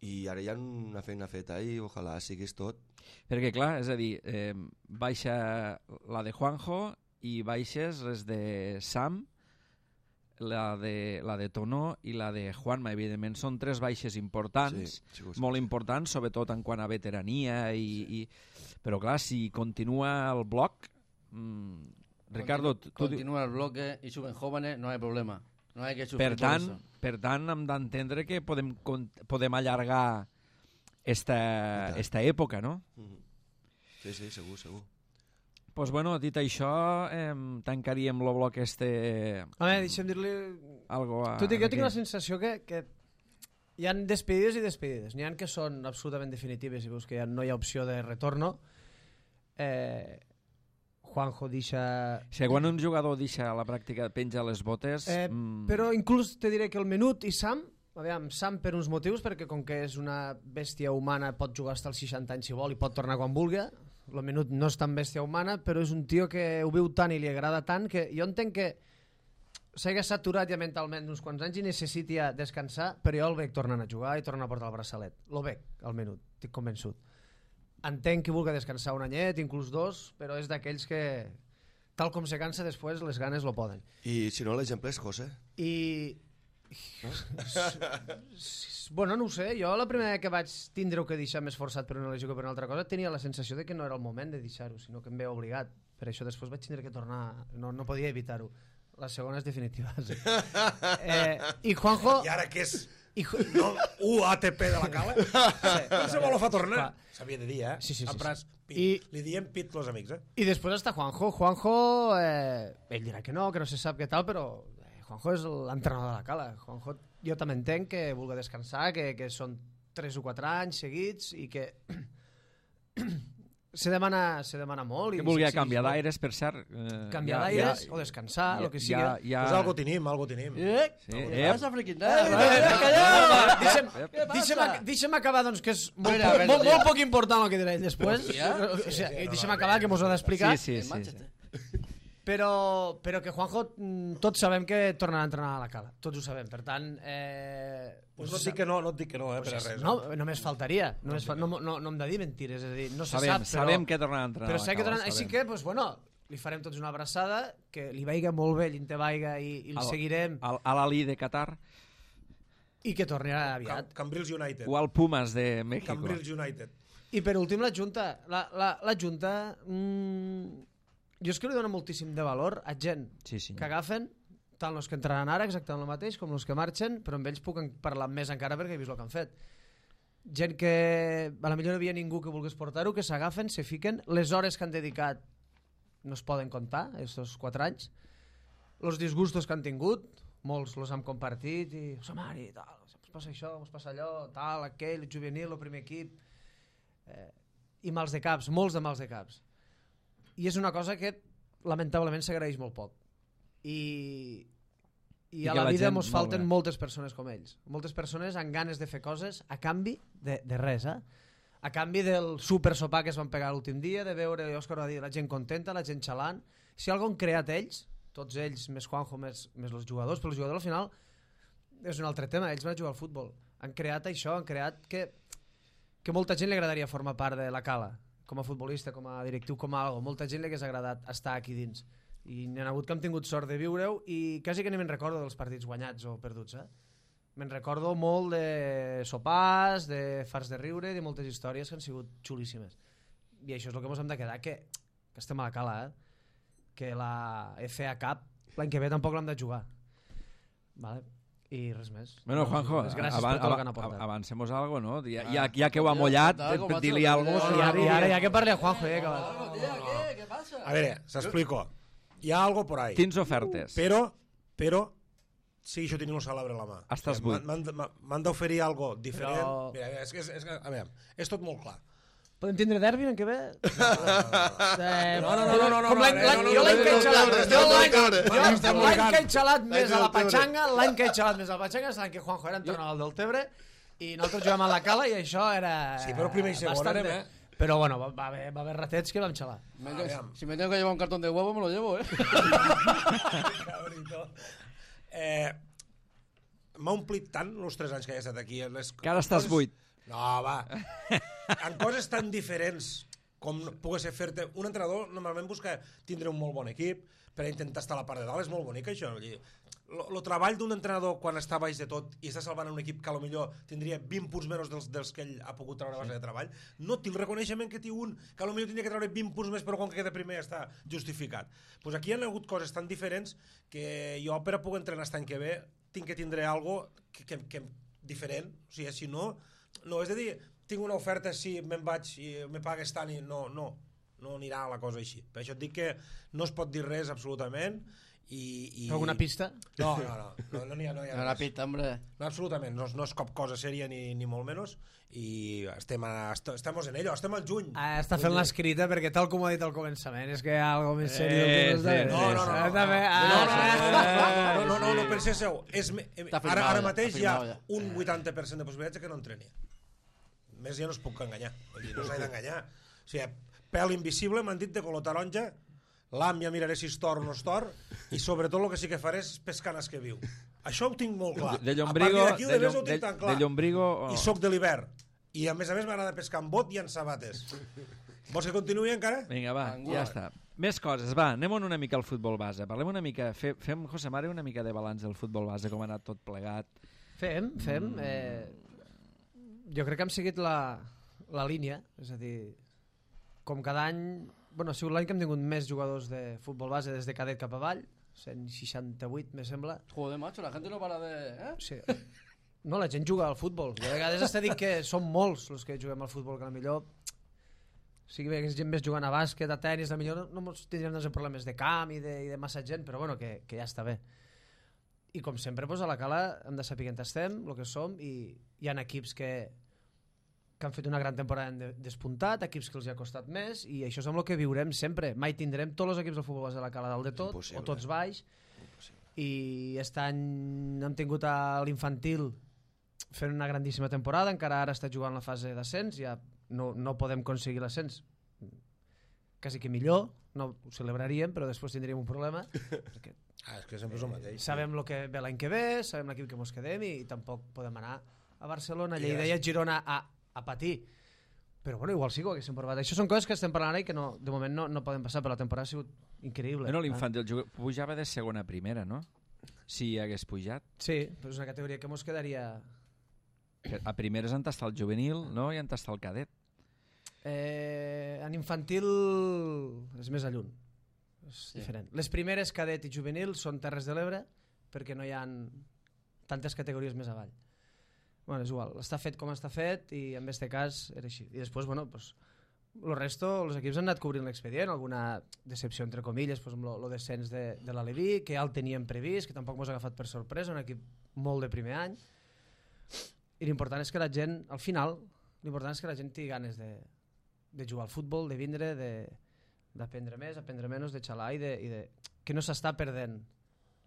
i ara hi ha una feina feta i ojalà siguis tot.
Perquè, clar, és a dir, eh, baixa la de Juanjo i baixes les de Sam, la de, la de Tono i la de Juanma. Evidentment són tres baixes importants,
Sí, sí, sí,
molt
sí.
importants, sobretot en quant a veterania, i, i... però clar, si continua el bloc... Mm, Ricardo, tu, tu,
Continúa el bloque y suben jóvenes, no hay problema. No hay que sufrir
per
por
tant,
eso.
per tant, hem d'entendre que podem, con- podem allargar esta,
tant.
esta època, no?
Mhm. Sí, sí, segur, segur.
Pues bueno, dit això, eh, tancaríem el bloc este...
Home, deixa'm dir-li...
Algo a,
Tu dic, jo tinc
a
la sensació que, que hi han despedides i despedides. N'hi ha que són absolutament definitives i veus que ja no hi ha opció de retorno. Eh, Juanjo deixa...
Si quan un jugador deixa la pràctica, penja les botes...
Eh,
mm,
Però inclús te diré que el Menut i Sam, aviam, Sam per uns motius, perquè com que és una bèstia humana pot jugar fins als seixanta anys si vol i pot tornar quan vulgui. El Menut no és tan bèstia humana, però és un tio que ho viu tant i li agrada tant que jo entenc que s'hagi saturat ja mentalment uns quants anys i necessiti ja descansar, però jo el veig tornant a jugar i tornant a portar el braçalet. Lo veig, al Menut, estic convençut. Entenc que vulgui descansar un anyet, inclús dos, però és d'aquells que, tal com se cansa després, les ganes lo poden.
I si no, l'exemple és José.
I... bueno, no ho sé, jo la primera que vaig tindre que deixar més forçat per una lesió que per una altra cosa tenia la sensació de que no era el moment de deixar-ho, sinó que em veia obligat. Per això després vaig tindre que tornar, no, no podia evitar-ho. La segona és definitiva. Sí. Eh, I Juanjo...
I ara que és
I, Ju-
no, U A T P de la Cala, no se vol fa tornar.
Clar.
S'havia de dir, eh?
Sí, sí, sí,
A Pras,
sí.
pit.
I-
Li diem pit los amics, eh?
I després està Juanjo. Juanjo, eh, ell dirà que no, que no se sap què tal, però eh, Juanjo és l'entrenador de la Cala. Juanjo, jo també entenc que vulgui descansar, que, que són tres o quatre anys seguits i que se demana, se demana molt.
que
I
vulgui
sí, sí,
canviar
sí,
d'aires, per cert. Eh,
Canviar
ja-
d'aires
ja-
o descansar,
ja-
el que sigui.
ja- ja-
Pues algo tenim, algo tenim.
Eh?
Sí,
¿Qué
eh.
pasa, friki?
Deixa'm,
¿Qué pasa?
deixa'm, ac- deixa'm acabar, doncs, que és molt,
Mira, a veure,
molt,
ja.
molt poc important el que diré ell després.
Ja?
O sigui, deixa'm acabar, que mos ho ha d'explicar.
Sí, sí,
En
sí.
Manchester.
Però, però que Juanjo, mm, tots sabem que tornarà a entrenar a la Cala. Tots ho sabem. Per tant... Eh,
Pues no et dic que no, no et dic que no, eh, per a res.
no, només faltaria. Només fa, no, no, no hem de dir mentires. És a dir, no se
Sabem,
sap, però...
sabem que tornarà a entrenar
Però
a la
sé que
Cala,
tornarà... Així
sabem.
que, doncs, bueno, li farem tots una abraçada, que li vaiga molt bé, l'Inte vaiga, i, i el
Al-
seguirem,
Al, a l'Ali de Qatar
i que torni
Cam,
aviat.
Cambrils United.
o al Pumas de México.
Cambrils United.
I per últim, la Junta. La, la, la Junta... Mm, jo és que li dono moltíssim de valor a gent
Sí, sí.
que agafen, tant els que entraran ara, exactament el mateix, com els que marxen, però amb ells puc parlar més encara perquè he vist el que han fet. Gent que a la millor no havia ningú que volgués portar-ho, que s'agafen, se fiquen, les hores que han dedicat no es poden comptar, estos quatre anys, els disgustos que han tingut, molts els hem compartit, i José Mari, tal, ens passa això, ens passa allò, tal, aquell, el juvenil, el primer equip, eh, i mals de caps, molts de mals de caps. I és una cosa que lamentablement s'agraeix molt poc. I, i, I a la, la vida ens falten moltes persones com ells. Moltes persones amb ganes de fer coses a canvi de, de res, eh? A canvi del super sopar que es van pegar l'últim dia, de veure, Òscar va dir, la gent contenta, la gent xalant. Si algo han creat ells, tots ells, més Juanjo, més, més els jugadors, però els jugadors al final és un altre tema, ells van jugar al futbol. Han creat això, han creat que, que molta gent li agradaria formar part de la Cala, com a futbolista, com a directiu, com a algo. Molta gent li hagués agradat estar aquí dins. I n'hi ha hagut que hem tingut sort de viure-ho i quasi que ni me'n recordo dels partits guanyats o perduts, eh? Me'n recordo molt de sopars, de fars de riure, de moltes històries que han sigut xulíssimes. I això és el que ens hem de quedar, que, que estem a la Cala, eh? Que la F A Cup l'any que ve tampoc l'hem de jugar. Vale? I res més.
Bueno, Juanjo,
gràcies
avan,
per tot el que han aportat.
Avancemos algo, no? Ja, ja, ja que ho ha mollat, dir-li algo.
I ara, i ara ja que parli a Juanjo, eh? Que...
¿Qué? ¿Qué pasa?
A ver, s'explico. Hi ha algo por ahí.
Tens ofertes.
Però, però, sí, això tinc un salabre a la mà.
Estàs
O sigui,
buit.
m'han- M'han d'oferir algo diferent.
Però-
Mira, és que és, és, que- a veure, és tot molt clar.
Podem tindre derbi l'any que ve? Eh,
No, no, no, no, no, no,
com l'any-
no,
l'any-
no, no,
jo l'any
no,
que he
no,
xalat,
no, no,
jo
no,
l'any-
no, no,
jo
no,
l'any
no,
que he xalat més a la
no, no, no.
Patxanga, l'any que he xalat més a la Patxanga és l'any que Juanjo era entrenador del Tebre i nosaltres jugàvem a la Cala i això era...
Sí, però primer i segon
bastant
anem,
de-
eh?
Però bueno, va, va, haver, va haver ratets que vam xalar.
Me-
Aviam.
si me tengo que llevar un cartón de huevo, me lo llevo, ¿eh?
Cabrito. Eh, M'ha omplit tant els tres anys que he estat aquí. Les,
Que ara estàs buit.
No, va. En coses tan diferents com pugui ser fer-te... Un entrenador normalment busca tindre un molt bon equip per a intentar estar a la part de dalt. És molt bonic, això. El treball d'un entrenador quan està baix de tot i està salvant un equip que a lo millor tindria vint punts menys dels, dels que ell ha pogut treure a base de treball, no té el reconeixement que té un que a lo millor tindria que treure vint punts més però com que queda primer ja està justificat. Pues aquí hi ha hagut coses tan diferents que jo per a poder entrenar aquest any que ve tinc que tindre algo que, que, que diferent, o sigui, si no no, és a dir, tinc una oferta si me'n vaig i me pagues tant i no, no, no anirà la cosa així. Per això et dic que no es pot dir res absolutament i... i...
Alguna pista?
No, no, no, no, no n'hi ha, no hi ha
No la
res.
pista, hombre.
No, absolutament, no, no és cap cosa sèria ni, ni molt menys i estem, a, est estem en ello, estem al juny.
Ah, està fent l'escrita perquè tal com ho ha dit al començament és que hi ha alguna més seriós
Eh,
que no,
sí,
No, no, no, no,
Està bé,
no,
ah,
no, no, no,
ah,
no, no, no, no penseu, és, me- eh,
Està
ara,
firmada
ara
ja,
mateix
està
hi ha
firmada ja.
un vuitanta per cent de possibilitats de que no entreni. Més ja no es puc enganyar, vull dir, no s'ha d'enganyar. O sigui, pèl invisible, m'han dit de color taronja, l'am ja miraré si es tor o no es tor, i sobretot el que sí que faré és pescar nas que viu. Això ho tinc molt clar.
De Llombrigo,
a partir d'aquí,
de,
de, de, ho
Llom-
tinc
de,
tan clar.
de Llombrigo...
I soc de l'hivern. I a més a més m'agrada pescar amb bot i en sabates. Vols que continuï encara?
Vinga, va,
Angular.
ja està. Més coses, va, anem una mica al futbol base. Parlem una mica, fe, fem, José Mari, una mica de balanç del futbol base, com ha anat tot plegat.
Fem, fem. Eh, jo crec que hem seguit la, la línia, és a dir, com cada any... Bueno, ha sigut l'any que hem tingut més jugadors de futbol base des de cadet cap avall, cent seixanta-vuit, me sembla.
Joder, macho, la gente no para de... ¿eh?
Sí. No, la gent juga al futbol. Jo a vegades està dit que som molts els que juguem al futbol, que a millor sigui bé que és gent més jugant a bàsquet, a tenis, a millor no, no tindríem doncs, problemes de camp i de, i de massa gent, però bueno, que, que ja està bé. I com sempre, doncs, a la Cala hem de saber que estem, el que som, i hi ha equips que, que han fet una gran temporada en de- despuntat, equips que els hi ha costat més, i això és amb el que viurem sempre. Mai tindrem tots els equips del futbol base de la Cala dalt de tot,
Impossible.
o tots baix, i aquest any hem tingut a l'infantil fent una grandíssima temporada, encara ara està jugant la fase d'ascens, ja no, no podem aconseguir l'ascens, quasi que millor, no ho celebraríem, però després tindríem un problema, perquè
Ah, és que sempre és el mateix.
sabem el que ve l'any que ve, sabem l'equip que mos quedem i, i tampoc podem anar a Barcelona,
I
Lleida i a
gràcies.
Girona a, a patir. Però bueno, igual sí que ho haguéssim provat. Això són coses que estem parlant ara i que no, de moment no, no poden passar, però la temporada ha sigut increïble.
Bueno,
Ah.
l'infantil juga- pujava de segona a primera, no? Si hagués pujat.
Sí, però és una categoria que mos quedaria...
Que a primera és on està el juvenil, no? I on està el cadet.
Eh, en infantil és més a lluny, és sí. diferent. Les primeres cadet i juvenil són Terres de l'Ebre, perquè no hi ha tantes categories més avall. Bueno, és igual, està fet com està fet i en aquest cas era així. I després, bueno, pues, el resto, els equips han anat cobrint l'expedient, alguna decepció entre comilles, pues, amb el descens de, de l'Aleví, que ja el teníem previst, que tampoc mos ha agafat per sorpresa, un equip molt de primer any. I l'important és que la gent, al final, l'important és que la gent tingui ganes de, de jugar al futbol, de vindre, d'aprendre més, aprendre menys, de xalar i de, i de que no s'està perdent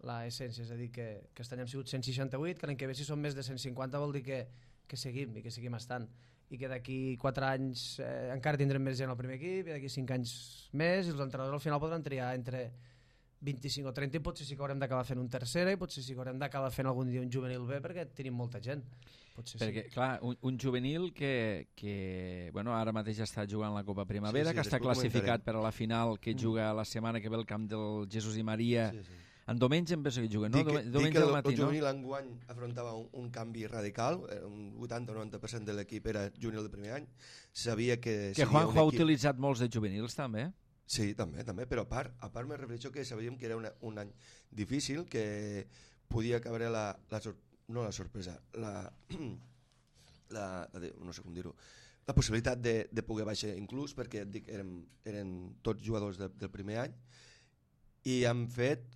la essència, és a dir, que, que aquest any hem sigut cent seixanta-vuit, que l'any que ve si som més de cent cinquanta vol dir que, que seguim i que seguim estant, i que d'aquí quatre anys eh, encara tindrem més gent al primer equip i d'aquí cinc anys més, i els entrenadors al final podran triar entre vint-i-cinc o trenta i potser sí que haurem d'acabar fent un tercera i potser sí que haurem d'acabar fent algun dia un juvenil B perquè tenim molta gent. Potser
perquè,
sí.
clar, un, un juvenil que, que bueno, ara mateix està jugant la Copa Primavera,
Sí, sí,
que està
després
classificat
comentarem.
per a la final, que juga la setmana que ve al camp del Jesús i Maria.
Sí, sí.
En diumenge em penso que juguen, no?
Dic que,
Diumenge
dic que
al
el,
matí,
el
no?
juvenil enguany afrontava un, un canvi radical, eh, un vuitanta o noranta per cent de l'equip era juvenil de primer any, sabia que...
Que
seria
Juanjo
un
ha
equip...
utilitzat molts de juvenils, també.
Sí, també, també, però a part, a part me refereixo que sabíem que era una, un any difícil, que podia cabre la, la sor, no la sorpresa, la, la, la no sé com dir-ho, la possibilitat de, de poder baixar inclús, perquè et dic, eren, eren tots jugadors de, del primer any, i han fet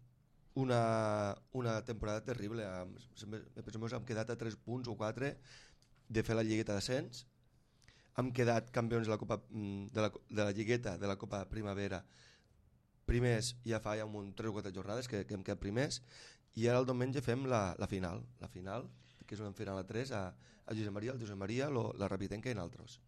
una, una temporada terrible. Am, me penso que hem quedat a tres punts o quatre de fer la lligueta d'ascens. Hem quedat campions de la, Copa, de, la, de la lligueta de la Copa Primavera primers ja fa ja un tres o quatre jornades que, que hem quedat primers, i ara el diumenge fem la, la final la final, que és una final a tres a, a Josep Maria, el Josep Maria, lo, la Rapitenca i nosaltres.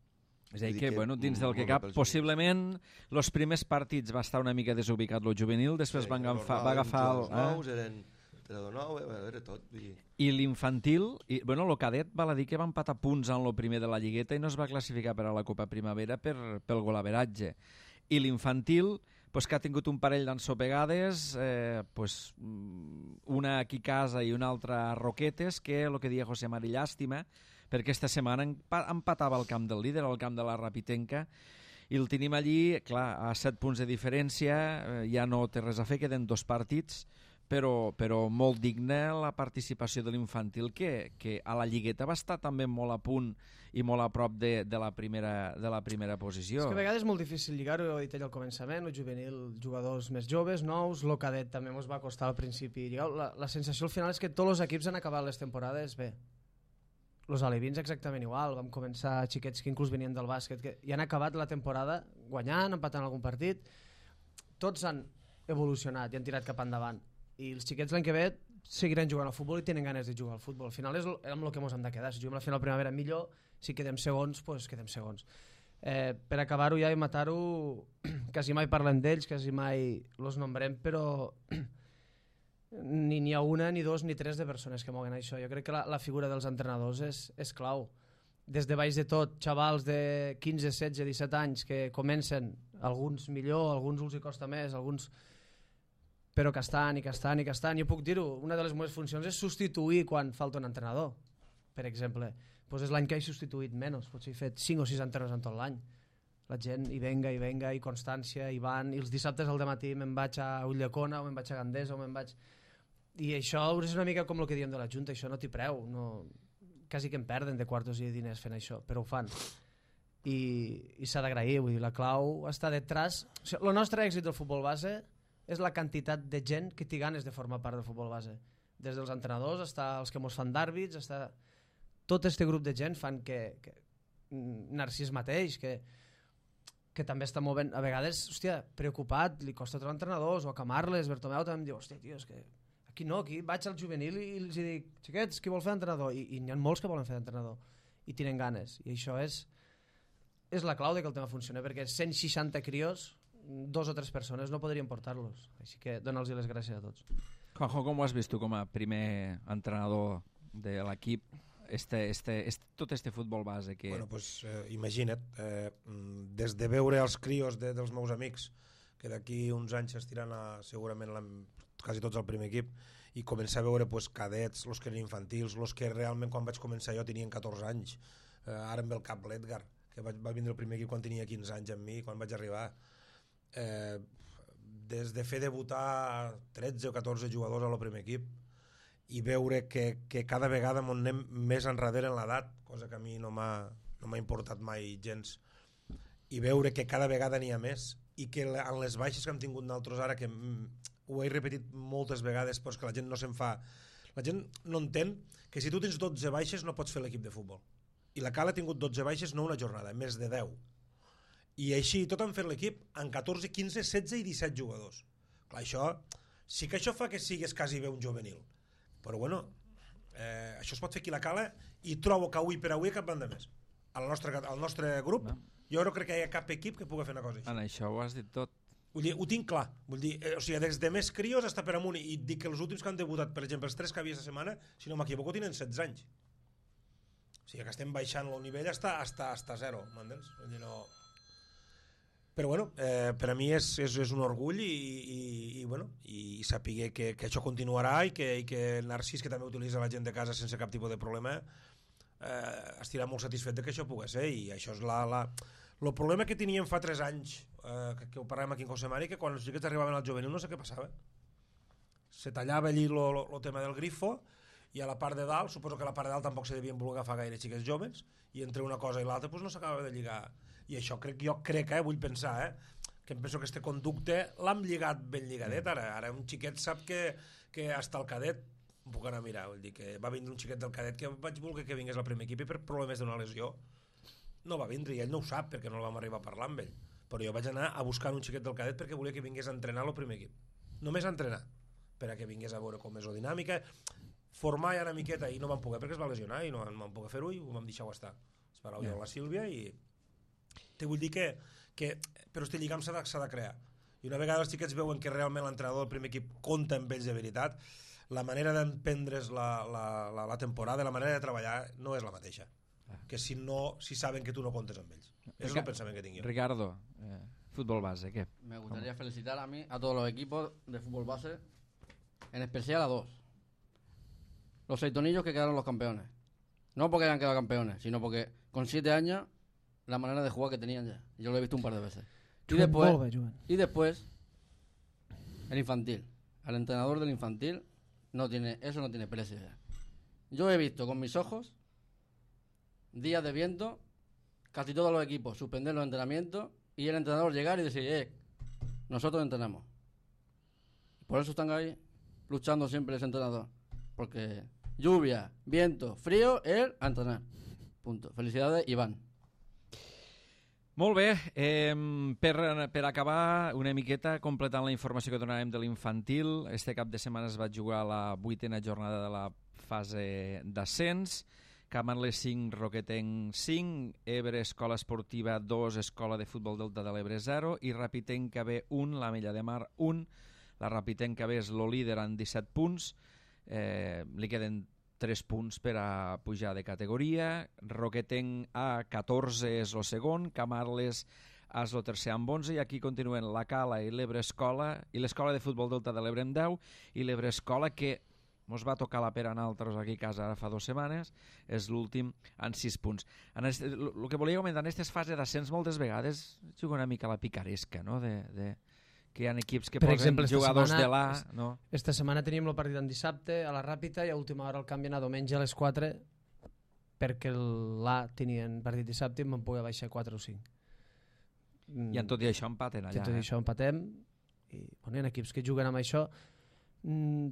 És a dir,
Vull dir
que,
que
bueno, dins del
molt
que
bé
cap,
pels
possiblement els primers partits va estar una mica desubicat lo juvenil, després
Sí,
van agafar,
normal,
va agafar el,
jugadors nous, eren entrenador nou, eh, era tot. Vull dir.
i l'infantil, i, bueno, el cadet val a dir que va empatar punts en lo primer de la lligueta i no es va classificar per a la Copa Primavera per, pel golaveratge. I l'infantil, pues, que ha tingut un parell d'ensopegades, eh, pues, una aquí a casa i una altra a Roquetes, que el que deia José Mari llàstima, perquè aquesta setmana empatava al camp del líder, al camp de la Rapitenca, i el tenim allí, clar, a set punts de diferència, eh, ja no té res a fer, queden dos partits, però, però molt digna la participació de l'infantil, que, que a la lligueta va estar també molt a punt i molt a prop de, de, la, primera, de la primera posició.
És que a vegades és molt difícil lligar-ho, ho he dit ell al començament, el juvenil, jugadors més joves, nous, el cadet també ens va costar al principi lligar. La, la sensació al final és que tots els equips han acabat les temporades bé. Els alevins exactament igual, vam començar xiquets que inclús venien del bàsquet, que ja han acabat la temporada guanyant, empatant algun partit, tots han evolucionat i han tirat cap endavant. I els xiquets l'any que ve seguiran jugant al futbol i tenen ganes de jugar al futbol. Al final és amb el que ens hem de quedar. Si juguem la final primavera millor, si quedem segons, doncs quedem segons. Eh, per acabar-ho ja i matar-ho, quasi mai parlem d'ells, quasi mai els nombrem, però ni n'hi ha una, ni dos, ni tres de persones que moguen això. Jo crec que la, la figura dels entrenadors és, és clau. Des de baix de tot, xavals de quinze, setze, disset anys que comencen, alguns millor, alguns els hi costa més, alguns... però que estan i que estan i que estan. Jo puc dir-ho, una de les meves funcions és substituir quan falta un entrenador, per exemple. Pues és l'any que he substituït menys, potser he fet cinc o sis entrenadors en tot l'any. La gent hi venga, hi venga, i constància, i van, i els dissabtes al dematí me'n vaig a Ulldecona, o me'n vaig a Gandesa, o me'n vaig... I això és una mica com el que diem de la Junta, això no t'hi preu, no... quasi que em perden de quartos i de diners fent això, però ho fan. I, i s'ha d'agrair, vull dir, la clau està detrás... O sigui, el nostre èxit del futbol base és la quantitat de gent que té ganes de formar part del futbol base. Des dels entrenadors, està els que mos fan d'àrbits, està... tot este grup de gent fan que... que... Narcís mateix, que... que també està movent, a vegades, hòstia, preocupat, li costa trobar entrenadors, o a Camarles, Bertomeu també em diu, hòstia, tio, és que aquí no, aquí vaig al juvenil i els dic, xiquets, qui vol fer entrenador? I, i n'hi ha molts que volen fer entrenador, i tenen ganes, i això és és la clau de que el tema funcioni, perquè cent seixanta crios, dos o tres persones no podrien portar-los, així que dona'ls les gràcies a tots.
Juanjo, com ho has vist tu com a primer entrenador de l'equip? Este, este, este, tot este futbol base que...
Bueno, pues, eh, imagina't, eh, des de veure els crios de, dels meus amics, que d'aquí uns anys estiran a, segurament la, quasi tots al primer equip, i començar a veure pues, cadets, els que eren infantils, els que realment quan vaig començar jo tenien catorze anys, eh, ara em ve el cap l'Edgar, que va, va vindre el primer equip quan tenia quinze anys amb mi, quan vaig arribar. Eh, des de fer debutar tretze o catorze jugadors al primer equip, i veure que, que cada vegada m'on anem més enrere en l'edat, cosa que a mi no m'ha no m'ha importat mai gens, i veure que cada vegada n'hi ha més i que en les baixes que hem tingut nosaltres ara, que ho he repetit moltes vegades però que la gent no se'n fa, la gent no entén que si tu tens dotze baixes no pots fer l'equip de futbol, i la Cala ha tingut dotze baixes no una jornada, més de deu, i així tot han fet l'equip en catorze, quinze, setze i disset jugadors. Clar, això sí que això fa que sigues quasi bé un juvenil, però bueno, eh, això es pot fer aquí a la Cala, i trobo que avui per avui cap banda més al nostre, al nostre grup no. Jo no crec que hi ha cap equip que pugui fer una cosa així.
En això ho has dit tot.
Vull dir, ho tinc clar, vull dir, eh, o sigui, des de més crios està per amunt, i dic que els últims que han debutat, per exemple, els tres que havia aquesta setmana, si no m'equivoco, tenen setze anys. O sigui, que estem baixant el nivell hasta, hasta, hasta zero, m'entens? Vull dir, no... Però bueno, eh, per a mi és, és, és un orgull i, i, i, bueno, i saber que, que això continuarà i que, i que Narcís, que també utilitza la gent de casa sense cap tipus de problema, eh, estirà molt satisfet de que això pugui ser, i això és la... la... El problema que teníem fa tres anys, eh, que, que ho parlàvem aquí en José Mari, que quan els xiquets arribaven al juvenil no sé què passava. Se tallava allí el tema del grifo, i a la part de dalt, suposo que a la part de dalt tampoc se devien voler agafar gaire xiquets joves, i entre una cosa i l'altra pues, no s'acabava de lligar. I això crec, jo crec, eh, vull pensar, eh, que em penso que este conducte l'hem lligat ben lligadet ara. Ara un xiquet sap que, que hasta el cadet puc anar a mirar, vull dir que va vindre un xiquet del cadet que vaig voler que vingués al primer equip i per problemes d'una lesió no va vindre, i ell no ho sap perquè no el vam arribar a parlar amb ell, però jo vaig anar a buscar un xiquet del cadet perquè volia que vingués a entrenar al primer equip, només a entrenar, per a que vingués a veure com és la dinàmica, formar ja una miqueta, i no vam poder perquè es va lesionar i no vam poder fer-ho i ho vam deixar-ho estar. Esperau jo a la Sílvia i te vull dir que, que però este lligam s'ha de, s'ha de crear, i una vegada els xiquets veuen que realment l'entrenador del primer equip compta amb ells de veritat, la manera d'emprendre's la, la, la, la temporada, la manera de treballar no és la mateixa que si no, si saben que tu no comptes amb ells. Eso es el pensamiento que tengo yo.
Ricardo, eh, fútbol base, ¿qué?
Me gustaría ¿Cómo? felicitar a mí, a todos los equipos de fútbol base, en especial a dos. Los seitonillos que quedaron los campeones. No porque hayan quedado campeones, sino porque con siete años la manera de jugar que tenían ya. Yo lo he visto un par de veces. Y después, y después el infantil. Al entrenador del infantil no tiene, eso no tiene precio ya. Yo he visto con mis ojos días de viento, casi todos los equipos suspender los entrenamientos y el entrenador llegar y decir, eh, nosotros entrenamos. Por eso están ahí luchando siempre ese entrenador. Porque lluvia, viento, frío, él a entrenar. Punto. Felicidades, Iván.
Molt bé, eh, per, per acabar una miqueta completant la informació que donarem de l'infantil, este cap de setmana es va jugar la vuitena jornada de la fase d'ascens. Camarles cinc, Roquetenc cinc, Ebre Escola Esportiva dos, Escola de Futbol Delta de l'Ebre zero i Rapitenca B un, l'Ametlla de Mar un. La Rapitenca B és el líder amb disset punts, eh, li queden tres punts per a pujar de categoria. Roquetenc A catorze és el segon, Camarles és el tercer amb onze, i aquí continuen la Cala i l'Ebre Escola i l'Escola de Futbol Delta de l'Ebre amb deu, i l'Ebre Escola, que ens va tocar la pera a nosaltres aquí a casa ara fa dues setmanes, és l'últim amb sis punts. El que volia comentar, en aquestes fases d'ascens moltes vegades juga una mica la picaresca, no? De, de, que hi ha equips que
per
posen
exemple,
jugadors
setmana,
de l'A. No?
Esta setmana teníem el partit en dissabte a la Ràpita i a última hora el canvien a diumenge a les quatre perquè l'A tenien partit dissabte i em van poder baixar quatre o cinc.
I en tot i això empaten allà.
I tot i
eh?
això empatem i bueno, hi ha equips que juguen amb això. Mm,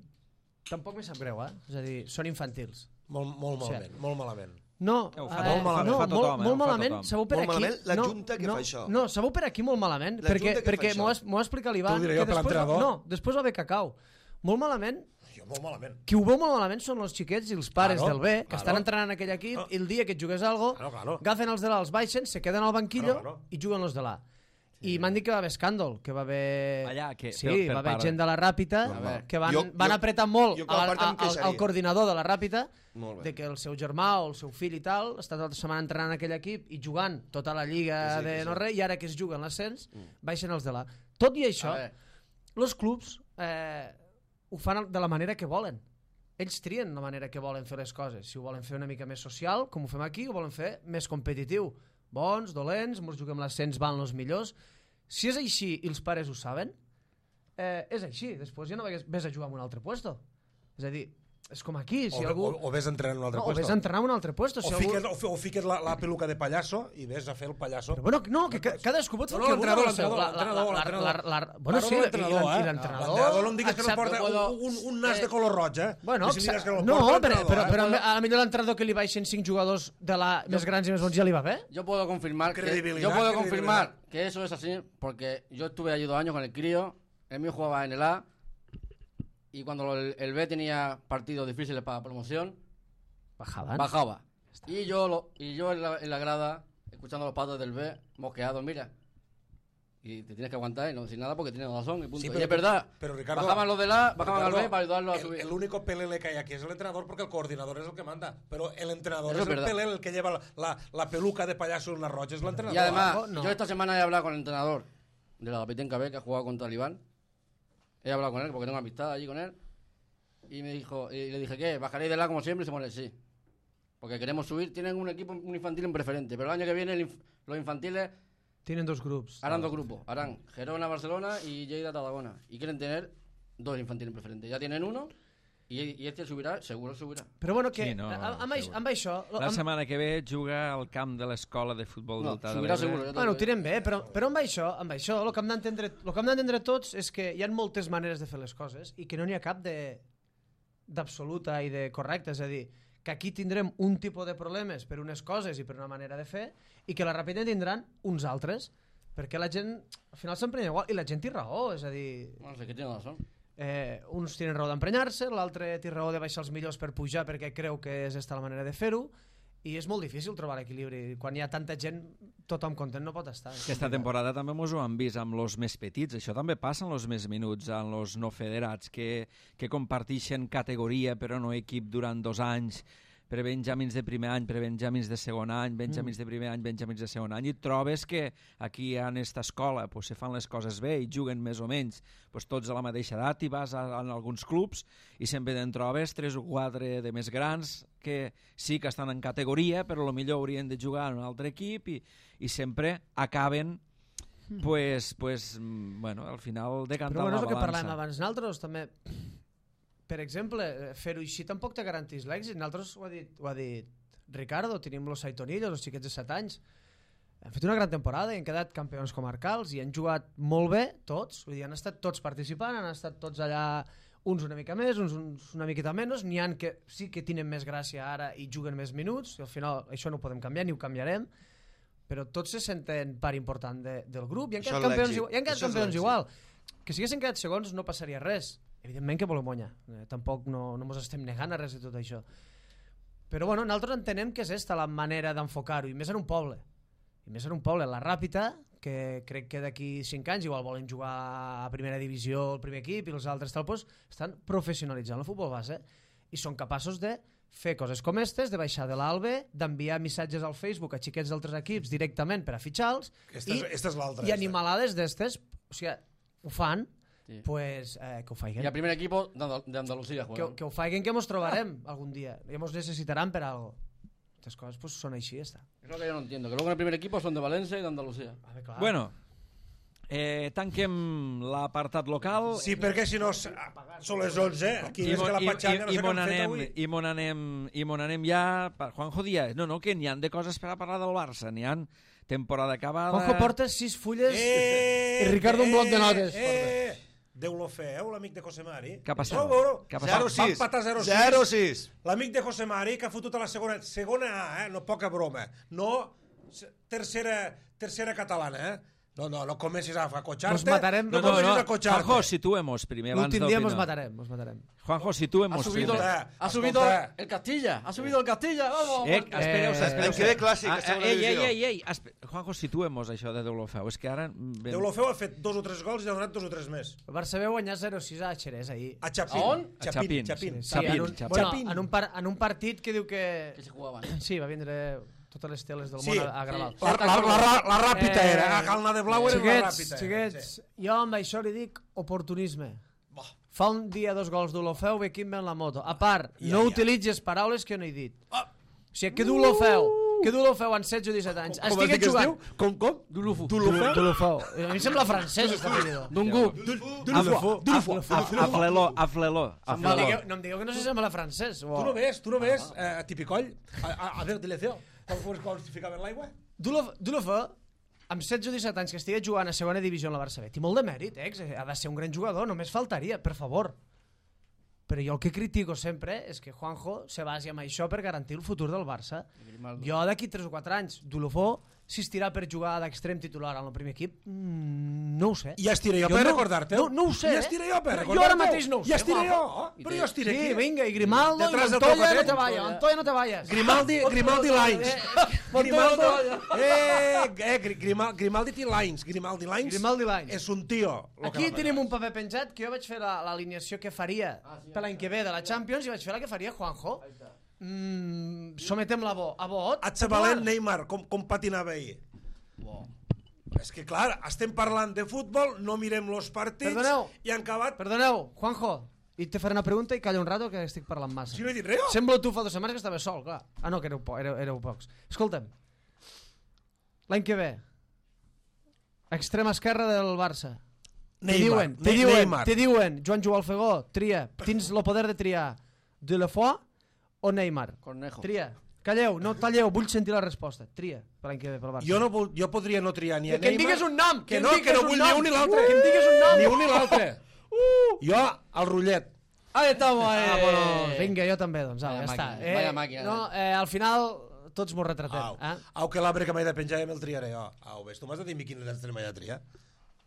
tampoc me sap greu, eh? És a dir, són infantils.
Molt, molt malament, o sigui, molt malament.
No,
eh, fa
eh,
molt malament,
no,
fa tothom,
molt,
eh,
molt malament,
tothom.
sabeu per
molt
aquí...
Malament, la
no,
Junta que
no,
fa això.
No, sabeu per aquí molt malament,
la
perquè, perquè m'ho
va
explicar l'Ivan,
que
després,
l'entrenador?
no, després va haver cacau. Molt malament,
Jo, molt malament.
qui ho veu molt malament són els xiquets i els pares
Claro,
del B, que
claro.
estan entrenant en aquell equip,
No.
i el dia que et jugues algo,
Claro, claro.
agafen els de l'A, els baixen, se queden al banquillo
Claro, claro.
i juguen els de l'A. I m'han dit que va haver escàndol, que va haver...
Allà, que-
sí,
per- per
va haver
part-
gent de la Ràpita
Normal.
que van,
Jo-
van
jo-
apretar molt
jo com a
al,
part em
al,
queixaria.
al coordinador de la Ràpita
Molt bé.
de que el seu germà o el seu fill i tal està tota la setmana entrenant en aquell equip i jugant tota la lliga
Que sí,
de
que sí.
no res, i ara que es juga en l'ascens baixen els de l'A. Tot i això,
A veure.
els clubs eh, ho fan de la manera que volen. Ells trien la manera que volen fer les coses. Si ho volen fer una mica més social, com ho fem aquí, ho volen fer més competitiu. Bons, dolents, ens juguem l'ascens, van els millors. Si és així i els pares ho saben, eh, és així. Després ja no vés a jugar en un altre puesto. És a dir, és com aquí, si
o,
algú...
o, o ves entrenant en un altre
no, o
puesto.
ves entrenar en un altre puesto.
O,
Si
fiques,
algú...
o, fi- o fiques la, la peluca de pallasso i ves a fer el pallasso.
Però bueno, no, que ca- cadascú pot fer
No,
el
no,
que vulgui.
l'entrenador,
La- la-
l'entrenador,
la-
l'entrenador.
la- la- la- Bueno,
Claro,
sí, i
l'entrenador,
l'en- i
eh?
l'entrenador...
L'entrenador no em digues que no
accepta-
porta
puedo-
un, un, un nas
eh,
de color roig, eh?
Bueno,
I si digues que
no,
no,
però,
porta
però,
l'entrenador,
però,
eh?
a la millor l'entrenador que li baixen cinc jugadors de la més grans i més bons ja li va bé.
Yo puedo confirmar que,
Credibilidad,
yo puedo
credibilidad.
confirmar que eso es así, porque yo estuve allí dos años con el crío, el mío jugaba en el A, y cuando el, el B tenía partidos difíciles para promoción,
Bajaban.
bajaba. Y yo, lo, y yo en, la, en la grada, escuchando los patos del B, mosqueados, mira. Y te tienes que aguantar y no decir nada porque tienes razón y punto.
Sí,
y
pero-
es verdad,
pero, Ricardo,
bajaban los del A, bajaban
Ricardo,
al B para ayudarlo a
el-
subir.
El único pelele que hay aquí es el entrenador porque el coordinador es el que manda. Pero el entrenador
Eso
es
es
el
verdad.
pelele el que lleva la, la, la peluca de payaso en la roja, es el entrenador.
Y además,
Abajo, no.
yo esta semana he hablado con el entrenador de la Petenca B que ha jugado contra el Iván. He hablado con él porque tengo amistad allí con él. Y me dijo, y le dije, ¿qué? ¿Bajaréis de la como siempre? Y se pone, sí. Porque queremos subir. Tienen un equipo un infantil en preferente, pero el año que viene el inf- los infantiles
Tienen dos grups.
harán dos grupos. Harán Gerona, Barcelona y Lleida, Tarragona. Y quieren tener dos infantiles en preferente. Ya tienen uno y, y este subirá, seguro subirà.
Però bueno, que
Sí, no,
amb, amb,
segur.
amb això...
La
Amb,
setmana que ve juga al camp de l'escola de futbol
No,
del Tà de
subirà
l'Ebre.
seguro. Ja
bueno, ho
t'ho dic.
tirem bé, però, però amb això, amb això el que hem d'entendre el que hem d'entendre tots és que hi ha moltes maneres de fer les coses i que no n'hi ha cap de d'absoluta i de correcta, és a dir, que aquí tindrem un tipus de problemes per unes coses i per una manera de fer i que la Ràpita tindran uns altres, perquè la gent al final s'emprenya igual i la gent té raó, és a dir,
No sé, que tiene razón.
eh, uns tenen raó d'emprenyar-se, l'altre té raó de baixar els millors per pujar perquè creu que és esta la manera de fer-ho i és molt difícil trobar l'equilibri. Quan hi ha tanta gent, tothom content no pot estar.
Aquesta temporada també mos ho han vist amb els més petits. Això també passa en els més minuts, amb els no federats, que, que comparteixen categoria però no equip durant dos anys, per benjamins de primer any, per benjamins de segon any, benjamins de primer any, benjamins de segon any, i et trobes que aquí en esta escola pues, se fan les coses bé i juguen més o menys pues, tots a la mateixa edat i vas a, a alguns clubs i sempre te'n trobes tres o quatre de més grans que sí que estan en categoria però potser haurien de jugar en un altre equip i, i sempre acaben pues, pues, mm, bueno, al final decantant
Però bueno, és
la
el que
balança.
parlàvem abans. Nosaltres també, per exemple, fer-ho així tampoc te garantís l'èxit. Nosaltres, ho ha dit, ho ha dit Ricardo, tenim los Saitonillos, els xiquets de set anys. Han fet una gran temporada i han quedat campions comarcals i han jugat molt bé tots, vull dir, han estat tots participant, han estat tots allà, uns una mica més, uns, uns una miqueta menys, n'hi han que sí que tenen més gràcia ara i juguen més minuts, i al final això no ho podem canviar ni ho canviarem, però tots se senten part important de, del grup i han
Això
quedat
és
campions,
l'èxit.
igual, i han quedat
Això és
campions
l'èxit.
igual. Que si haguessin quedat segons no passaria res. Evidentment que volem guanyar, eh, tampoc no, no mos estem negant a res de tot això. Però bueno, nosaltres entenem que és esta la manera d'enfocar-ho, i més en un poble. I més en un poble, la Ràpita, que crec que d'aquí cinc anys igual volen jugar a primera divisió el primer equip i els altres tal, doncs, estan professionalitzant el futbol base i són capaços de fer coses com aquestes, de baixar de l'Albe, d'enviar missatges al Facebook a xiquets d'altres equips directament per a fitxar-los
Esta és- esta és l'altra,
i
esta.
animalades d'estes, o sigui, ho fan,
Sí.
pues, eh, que ho
Y
faiguen.
el primer equipo de Andal- de Andalucía
Que,
juega.
que ho faiguen que mos trobarem algun dia i mos necessitaran per algo. Aquestes coses pues, són així, ja està.
Es lo que yo no entiendo. Que luego en el primer equipo son de Valencia y de Andalucía.
A veure, clar.
Bueno, eh, tanquem l'apartat local
Sí, perquè si no s- són les onze, aquí
i,
és
mo-
que la
i,
patxanga no
i,
sé
i,
què
mon
han fet
anem,
avui.
i mon anem i mon anem ja per Juanjo Díaz. No, no, que n'hi han de coses per a parlar del Barça. N'hi han temporada acabada.
Juanjo porta sis fulles
Eh,
i Ricardo un bloc de notes.
Eh, Déu-lo feu, l'amic de José Mari.
Què ha passat?
Vau veure?
Què ha passat?
Va-
zero
Va
sis.
empatar zero sis.
zero sis.
L'amic de José Mari que ha fotut a la segona, segona A, eh? No poca broma. No se- tercera, tercera catalana, eh? No, no, no comencis a acotxar-te.
Nos matarem.
No,
No, no,
comencis
no.
a acotxar-te.
Juanjo, situemos primer. abans
L'últim dia
d'opinar.
mos matarem, mos matarem.
Juanjo,
Ha
situemos
subido,
primer.
Escolta,
ha subido
escolta.
el Castilla. Ha subido el Castilla. Vamos.
Eh, espereu,
Eh,
espereu.
em quedé clàssic,
Ah,
a segona
ei,
divisió.
ei, ei, ei, espe- Juanjo, situemos això de Deulofeu. És que ara... Ben...
Déu-lo feu, ha fet dos o tres gols i ha donat dos o tres més.
El Barça va guanyar zero sis a Xerès ahir.
A Chapín.
A on?
A Chapín,
Chapín.
sí.
Sí, en, un,
Chapín,
bueno,
Chapín.
en, un par, en un partit que diu que...
Que se jugaban.
Sí, va vindre totes les teles del
Sí.
món a, a gravar.
Sí.
La, la, la, la, la ràpita
Eh,
era, a Calna de Blau era la
Xiquets,
ràpita.
xiquets, jo amb això li dic oportunisme.
Bah.
Fa un dia dos gols d'Olofeu, ve Quim en la moto. A part,
Ja,
no
ja.
utilitzes paraules que no he dit.
Ah.
O sigui, que d'Olofeu que Deulofeu amb setze o disset anys
Com has
estigui
dit que es
jugant...
diu? Com, com?
Dulufu.
Deulofeu?
Deulofeu. A mi em sembla francès, aquest apellido.
Dungu.
Deulofeu.
Afleló, afleló.
No em digueu, no em digueu que no se sembla francès.
Tu no ves, tu no ves, eh, a Tipicoll, a, a, a veure, Deleceo, com quan es ficaven l'aigua?
Deulofeu, amb setze o disset anys que estigui jugant a segona divisió en la Barça B, té molt de mèrit, eh? Ha de ser un gran jugador, només faltaria, per favor. Però jo el que critico sempre és que Juanjo se basi en això per garantir el futur del Barça. Jo d'aquí tres o quatre anys, Deulofeu, si estirà per jugar d'extrem titular en el primer equip, mmm, no ho sé.
Ja estiré jo,
Jo
per
no-
recordar-te.
no- no ho sé,
Ja
eh?
estiré jo per
Però jo
recordar-te.
ara mateix no ho sé,
Ja estiré jo,
guapo.
oh, però jo estiré
Sí,
aquí.
vinga, i Grimaldo, i
Detrás del
Montoya, no
Tocotet.
te vayas, Montoya, no te vayas.
Grimaldi, Grimaldi Lines.
Eh,
Grimaldo,
Montoya.
eh, eh, Gri- Grimal, Grimaldi té Lines. Grimaldi Lines.
Grimaldi Lines.
És un tio. lo
Aquí
que va
tenim un paper penjat que jo vaig fer la- l'alineació que faria per l'any que ve de la Champions i vaig fer la que faria Juanjo. Mm, sometem la bo, a vot.
A xavalent Neymar, com, com patinava ahir. És que clar, estem parlant de futbol, no mirem los partits
Perdoneu.
i han acabat...
Perdoneu, Juanjo, i te faré una pregunta i calla un rato que estic parlant massa.
Si no he dit res,
Sembla tu fa dues setmanes que estava sol, clar. Ah, no, que éreu, po éreu, éreu pocs. Escolta'm, l'any que ve, extrema esquerra del Barça. Te
Neymar,
diuen, te
Ne-
diuen,
Neymar.
te diuen, Joan Joao Alfegó, tria, tens el poder de triar Deulofeu o Neymar.
Cornejo.
Tria. Calleu, no talleu, vull sentir la resposta. Tria, per l'any que ve, pel Barça.
Jo, no, vol- jo podria no triar ni a
Que em
Neymar...
digues un nom,
Que
que em
no, que
digues
no
un
vull
nom.
ni un ni l'altre.
Uh, que em digues un nom.
Ni un ni l'altre. Jo, el rotllet.
Ahí estamos, eh.
Ah, bueno, vinga, jo també, doncs, au,
Vaya
ja està.
màquina, vaya màquina,
no, eh, al final, tots m'ho retratem.
Au,
Eh?
au que l'arbre que m'he de penjar ja me'l triaré jo. Au, ves, tu m'has de dir a mi quin extrem he de triar?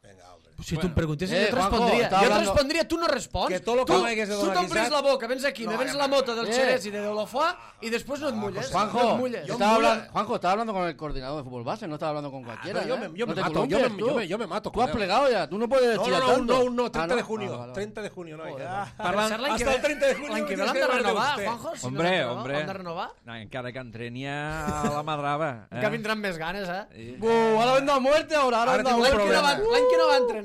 Vinga, hombre.
Si tu em preguntes,
Eh,
jo et
Juanjo,
respondria.
estava
Jo et
hablando-
respondria, tu no respons.
Que tot lo que
tu,
m'hagués de
tu
donar
t'omplis
guisat-
la boca, vens aquí,
No,
me vens
ja
la moto del
Eh.
Xerès i de Deulofeu i després no et mulles.
Juanjo,
no et mulles.
yo-
estaba
mulla-
hablando, Juanjo, estaba hablando con el coordinador de fútbol base, no estaba hablando con cualquiera.
pero yo
¿eh?
me- yo
No
me
te
mato,
columpies,
yo me-
tú.
yo me- yo me mato
Tú
con
has
él.
plegado ya, tú no puedes
No,
chillar
no, no,
tanto.
no, no, treinta
Ah,
de junio.
Vale, vale.
treinta de junio, no. Ja.
Parlant, l'any que
Hasta
ve,
el treinta de junio
l'any que ve
tienes
l'han
que
de
veure
renovar,
usted.
Juanjo. Si
Hombre,
no l'han de renovar,
hombre.
l'han de renovar.
No, encara que entreni a la Madrava.
Que vindran més ganes, eh?
Sí.
Uh, ahora venda a muerte, ahora, ahora
Ahora
venda a
tengo un
muerte.
L'any que, no va,
problema.
l'any que no va entrenar,